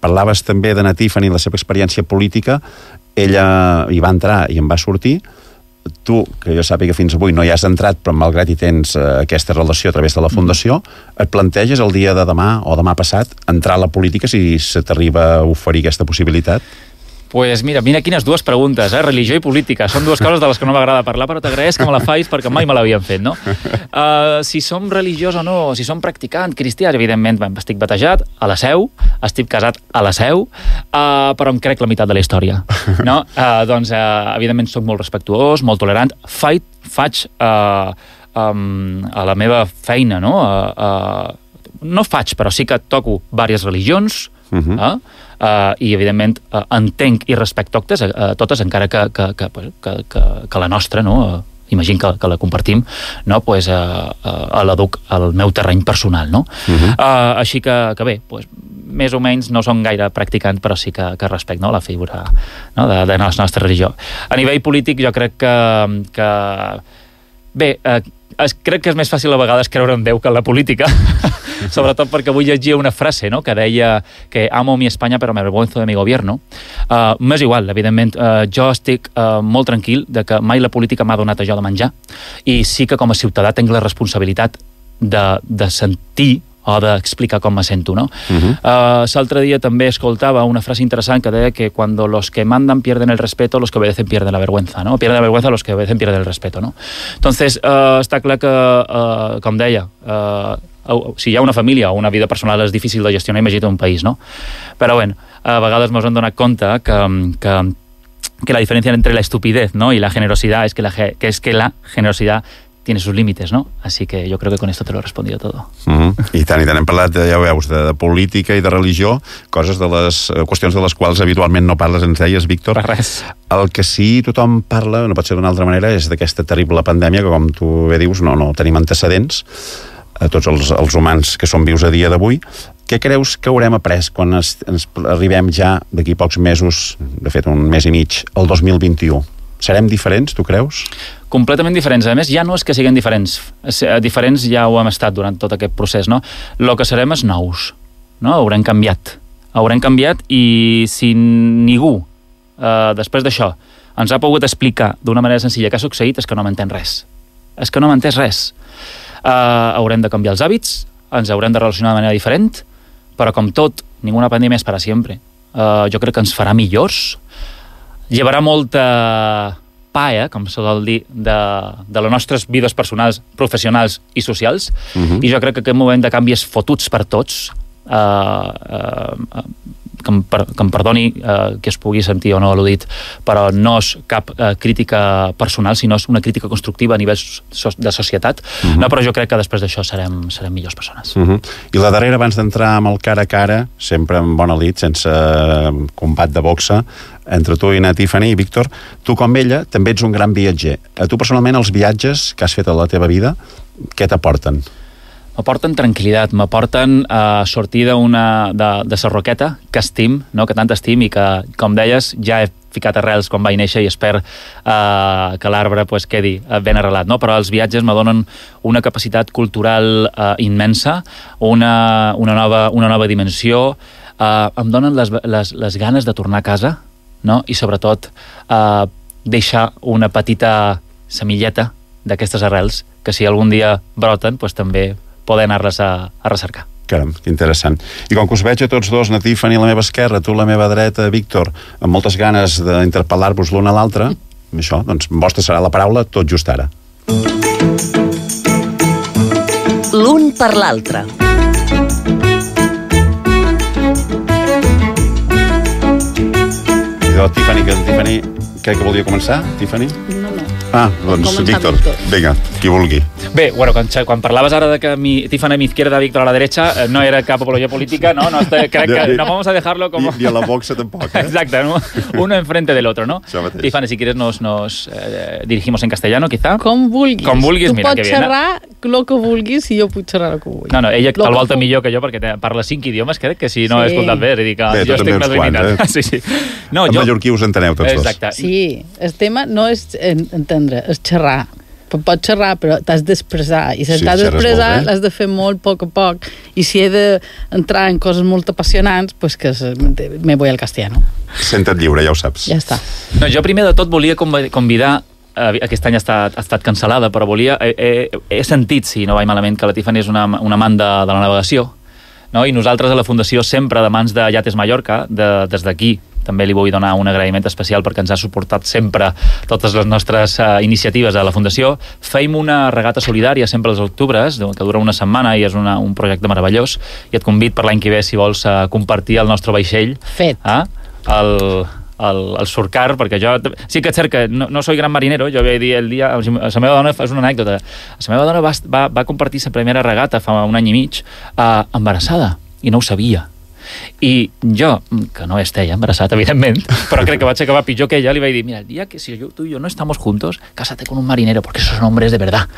Parlaves també de na Tiffany, la seva experiència política, ella hi va entrar i en va sortir. Tu, que jo sàpiga fins avui no hi has entrat, però malgrat hi tens eh, aquesta relació a través de la Fundació, et planteges el dia de demà o demà passat entrar a la política si se t'arriba a oferir aquesta possibilitat? Pues mira, mira quines dues preguntes, eh? Religió i política. Són dues coses de les que no m'agrada parlar, però t'agraeix que me la facis perquè mai me l'havien fet, no? Uh, si som religiós o no, si som practicants, cristians, evidentment, estic batejat a la Seu, estic casat a la Seu, uh, però em crec la meitat de la història, no? Uh, doncs, uh, evidentment, soc molt respectuós, molt tolerant, faig, faig uh, um, a la meva feina, no? Uh, uh, no faig, però sí que toco diverses religions, Uh-huh. Uh, uh, i evidentment uh, entenc i respecto totes, uh, totes encara que, que, que, que, que, que la nostra, no? Uh, imagino que, que la compartim, no? Pues, uh, uh, l'aduc al meu terreny personal, no? Uh-huh. uh, així que, que bé, pues, més o menys no som gaire practicant, però sí que, que respecto, no? La figura, no? de, de la nostra religió. A nivell polític jo crec que, que bé, uh, es, crec que és més fàcil a vegades creure en Déu que en la política, sobretot perquè avui llegia una frase, no?, que deia que amo mi Espanya però me avergüenzo de mi gobierno. Uh, m'és igual, evidentment, uh, jo estic uh, molt tranquil de que mai la política m'ha donat això de menjar i sí que com a ciutadà tinc la responsabilitat de, de sentir o d'explicar com me sento, no? Uh-huh. Uh, l'altre dia també escoltava una frase interessant que deia que cuando los que mandan pierden el respeto, los que obedecen pierden la vergüenza, ¿no? Pierden la vergüenza, los que obedecen pierden el respeto, ¿no? Entonces, uh, està clar que, uh, com deia, uh, si hi ha una família o una vida personal és difícil de gestionar, imagina't un país, no? Però bé, a vegades ens hem donat compte que, que, que la diferència entre la estupidez, ¿no?, y la generosidad es que la, que es que la generosidad tiene sus límites, ¿no? Así que yo creo que con esto te lo he respondido todo. Uh-huh. I tant, i tant. Hem parlat, ja ho veus, de, de política i de religió, coses de les qüestions de les quals habitualment no parles, ens deies, Víctor. Per res. El que sí tothom parla, no pot ser d'una altra manera, és d'aquesta terrible pandèmia que, com tu bé dius, no, no tenim antecedents a tots els, els humans que són vius a dia d'avui. Què creus que haurem après quan es, ens arribem ja d'aquí pocs mesos, de fet un mes i mig, al dos mil vint-i-u? Serem diferents, tu creus? Completament diferents. A més, ja no és que siguin diferents. Diferents ja ho hem estat durant tot aquest procés, no? El que serem és nous, no? Haurem canviat. Haurem canviat i si ningú, eh, després d'això, ens ha pogut explicar d'una manera senzilla què ha succeït, és que no m'entén res. És que no m'entès res. Uh, haurem de canviar els hàbits, ens haurem de relacionar de manera diferent, però com tot, ninguna pandèmia és per a sempre. Uh, jo crec que ens farà millors, llevarà molta paia, com se sol dir, de, de les nostres vides personals, professionals i socials, uh-huh. I jo crec que aquest moment de canvi és fotuts per tots, uh, uh, que em, per, que em perdoni eh, que es pugui sentir o no al·ludit, però no és cap eh, crítica personal, sinó és una crítica constructiva a nivell so de societat, uh-huh. No, però jo crec que després d'això serem, serem millors persones. Uh-huh. I la darrera, abans d'entrar amb el cara a cara, sempre amb bona lid, sense combat de boxa, entre tu i na Tiffany i Víctor, tu com ella també ets un gran viatger. A tu personalment els viatges que has fet a la teva vida, què t'aporten? M'aporten tranquil·litat, m'aporten a uh, sortir d'una de, de sa roqueta que estim, no? Que tant estim i que, com deies, ja he ficat arrels quan vaig néixer i espero uh, que l'arbre pues, quedi ben arrelat, no? Però els viatges me donen una capacitat cultural uh, immensa, una, una, nova, una nova dimensió, uh, em donen les, les, les ganes de tornar a casa, no? I sobretot uh, deixar una petita semilleta d'aquestes arrels que si algun dia broten, doncs també poder anar-les a, a recercar. Caram, que interessant. I com que us veig a tots dos, na Tiffany a la meva esquerra, tu a la meva dreta, Víctor, amb moltes ganes d'interpel·lar-vos l'un a l'altre, això, doncs vostra serà la paraula tot just ara. L'un per l'altre. I de la Tiffany, que la Tiffany crec que volia començar, Tiffany? No, no. Ah, doncs Víctor, vinga, qui vulgui. Bé, bueno, quan, quan parlaves ara de que mi, Tiffany a mi izquierda, Víctor a la derecha, no era cap apología política, no, no crec que no vamos a dejarlo como... Ni, ni a la boxa tampoc, eh? Exacto, ¿no? Uno enfrente del otro, ¿no? Tiffany, si quieres nos, nos eh, dirigimos en castellano, quizá. Com vulguis. Com vulguis, tu mira, que bien. Tu pots xerrar el que vulguis i jo puc xerrar el que vull. No, no, ella lo el volta millor que jo perquè te, parla cinc idiomes, crec que si no sí. he escoltat bé, és dir que bé, jo estic més limitat. Eh? Sí, sí. No, en jo... mallorquí us enteneu tots Exacte. dos. Sí, el tema no és entendre, és xerrar. Pots xerrar, però t'has d'expressar. I si Sí, t'has d'expressar, molt, eh? l'has de fer molt a poc a poc. I si he d'entrar en coses molt apassionants, pues que me voy al castellano. Senta't lliure, ja ho saps. Ja està. No, jo primer de tot volia convidar, eh, aquest any ha estat, ha estat cancel·lada, però volia, he, he, he sentit, si no vaig malament, que la Tiffany és una, una amant de, de la navegació, no? I nosaltres a la Fundació sempre de mans de Yates Mallorca, de, des d'aquí, també li vull donar un agraïment especial perquè ens ha suportat sempre totes les nostres uh, iniciatives a la Fundació. Feim una regata solidària sempre als octubres, que dura una setmana i és una, un projecte meravellós, i et convid per l'any que ve, si vols, uh, compartir el nostre vaixell. Fet. Eh? El, el, el surcar, perquè jo... Sí que és cert que no, no soy gran marinero, jo vaig dir el dia... La meva dona, és una anècdota, la meva dona va, va, va compartir la primera regata fa un any i mig uh, embarassada, i no ho sabia. I jo, que no esté embarassat, evidentment, però crec que vaig acabar pitjor que ella, li vaig dir, mira, el dia que si yo, tú y yo no estamos juntos, cásate con un marinero, porque esos hombres de verdad.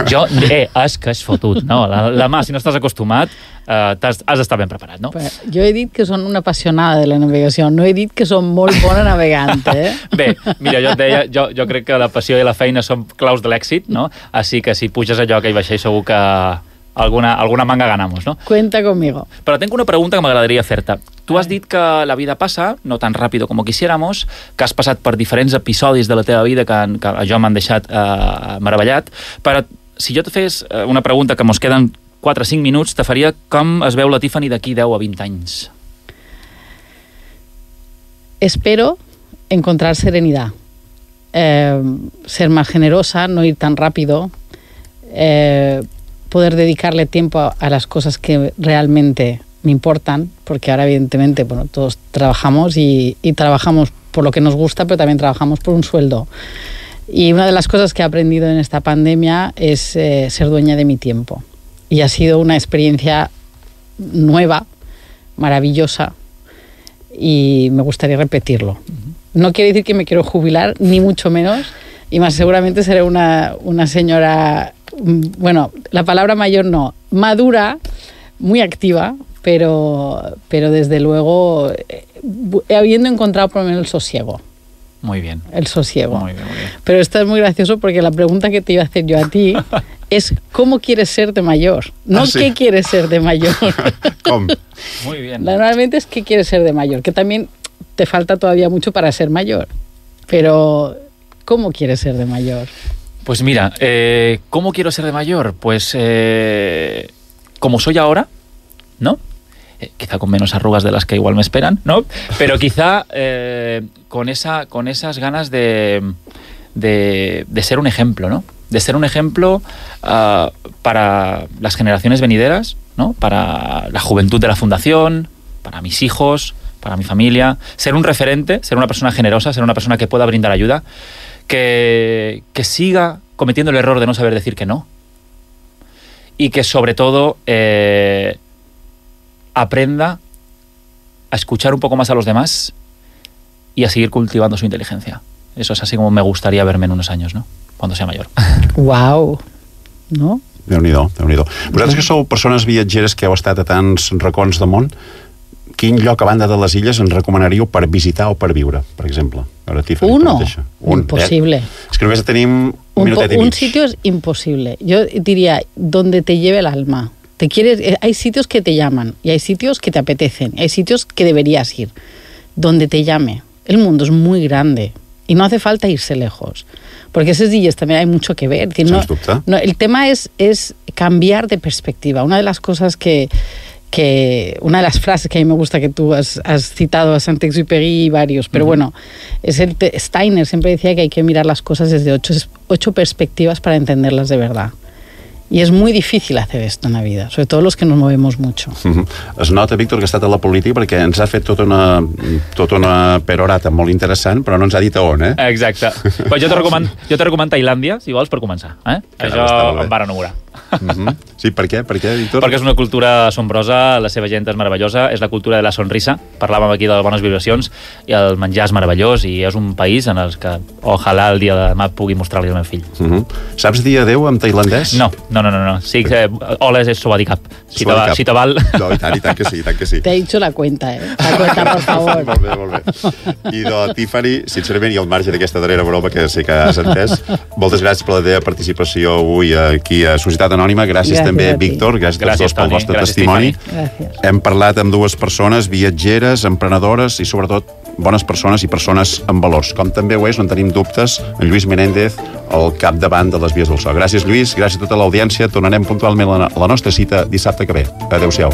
Jo, eh, és que és fotut, no? La, la mà, si no estàs acostumat, eh, has, has d'estar ben preparat, no? Però jo he dit que són una apassionada de la navegació, no he dit que són molt bona navegant, eh? Bé, mira, jo et deia, jo, jo crec que la passió i la feina són claus de l'èxit, no? Així que si puges allò que hi vaixell segur que alguna, alguna manga ganamos, ¿no? Cuenta conmigo. Pero tengo una pregunta que m'agradaria fer-te. Tu has dit que la vida passa, no tan ràpido com quisiéramos, que has passat per diferents episodis de la teva vida que, que jo m'han deixat eh, meravellat, però si jo et fes una pregunta que mos queden quatre o cinc minuts, te faria com es veu la Tiffany d'aquí deu a vint anys? Espero encontrar serenidad, eh, ser más generosa, no ir tan rápido, eh, poder dedicarle tiempo a, a las cosas que realmente me importan, porque ahora evidentemente bueno, todos trabajamos y, y trabajamos por lo que nos gusta, pero también trabajamos por un sueldo. Y una de las cosas que he aprendido en esta pandemia es eh, ser dueña de mi tiempo. Y ha sido una experiencia nueva, maravillosa, y me gustaría repetirlo. No quiere decir que me quiero jubilar, ni mucho menos, y más seguramente seré una, una señora, bueno, la palabra mayor no, madura, muy activa, pero, pero desde luego eh, habiendo encontrado por lo menos el sosiego. Muy bien. El sosiego. Muy bien, muy bien. Pero esto es muy gracioso porque la pregunta que te iba a hacer yo a ti es ¿cómo quieres ser de mayor? No ah, sí. ¿qué quieres ser de mayor? ¿Cómo? Muy bien. Normalmente es ¿qué quieres ser de mayor? Que también te falta todavía mucho para ser mayor. Pero ¿cómo quieres ser de mayor? Pues mira, eh, ¿cómo quiero ser de mayor? Pues eh, como soy ahora, ¿no? Eh, quizá con menos arrugas de las que igual me esperan, ¿no? Pero quizá eh, con, esa, con esas ganas de, de, de ser un ejemplo, ¿no? De ser un ejemplo uh, para las generaciones venideras, ¿no? Para la juventud de la fundación, para mis hijos, para mi familia. Ser un referente, ser una persona generosa, ser una persona que pueda brindar ayuda, que, que siga cometiendo el error de no saber decir que no. Y que sobre todo eh, aprenda a escuchar un poco más a los demás y a seguir cultivando su inteligencia. Eso es así como me gustaría verme en unos años, ¿no? Cuando sea mayor. Uau! No? Déu-n'hi-do, Déu-n'hi-do. Vosaltres que sou persones viatgeres que heu estat a tants racons del món, quin lloc a banda de les illes ens recomanaríeu per visitar o per viure, per exemple? Ahora, Tiffany, Uno. Un, Imposible. Eh? És que només tenim un, un minutet i mig. Un sitio es imposible. Yo diría, donde te lleve el alma. Te quieres, hay sitios que te llaman y hay sitios que te apetecen, hay sitios que deberías ir. Donde te llame. El mundo es muy grande y no hace falta irse lejos. Porque esas illes también hay mucho que ver. Es decir, no, no, el tema es, es cambiar de perspectiva. Una de las cosas que, que... Una de las frases que a mí me gusta, que tú has, has citado a Saint-Exupéry y varios, pero uh-huh. bueno, es el Steiner siempre decía que hay que mirar las cosas desde ocho, ocho perspectivas para entenderlas de verdad. I és molt difícil hacer esto en la vida, sobre todo los que nos movemos mucho. Uh-huh. Es nota, Víctor, que ha estat a la política perquè ens ha fet tota una, tota una perorata molt interessant, però no ens ha dit a on, eh? Exacte. Pues jo te recomano, jo te recomano Tailàndia, si vols, per començar. Eh? Això em va enamorar. Uh-huh. Sí, per què? Per què, Víctor? Perquè és una cultura assombrosa, la seva gent és meravellosa, és la cultura de la sonrisa, parlàvem aquí de les bones vibracions, i el menjar és meravellós, i és un país en el que ojalà el dia de demà pugui mostrar-li al meu fill. Uh-huh. Saps dir adeu en tailandès? No, no, no, no, no. Sí, eh, hola és Sawadee-krap. Si te, va, si te val... No, i tant, i tant que sí, i tant que sí. Te he dicho la cuenta, eh? La cuenta, por favor. Molt bé, molt bé. I de Tiffany, sincerament, i al marge d'aquesta darrera broma que sé que has entès, moltes gràcies per la teva participació avui aquí a Societat Anònima. Gràcies, gràcies també, Víctor. Gràcies, gràcies a tots dos pel vostre gràcies, testimoni. Gràcies. Hem parlat amb dues persones, viatgeres, emprenedores i, sobretot, bones persones i persones amb valors. Com també ho és, no en tenim dubtes, en Lluís Menéndez, al capdavant de les Vies del So. Gràcies, Lluís. Gràcies a tota l'audiència. Tornarem puntualment a la nostra cita dissabte que ve. Adéu-siau.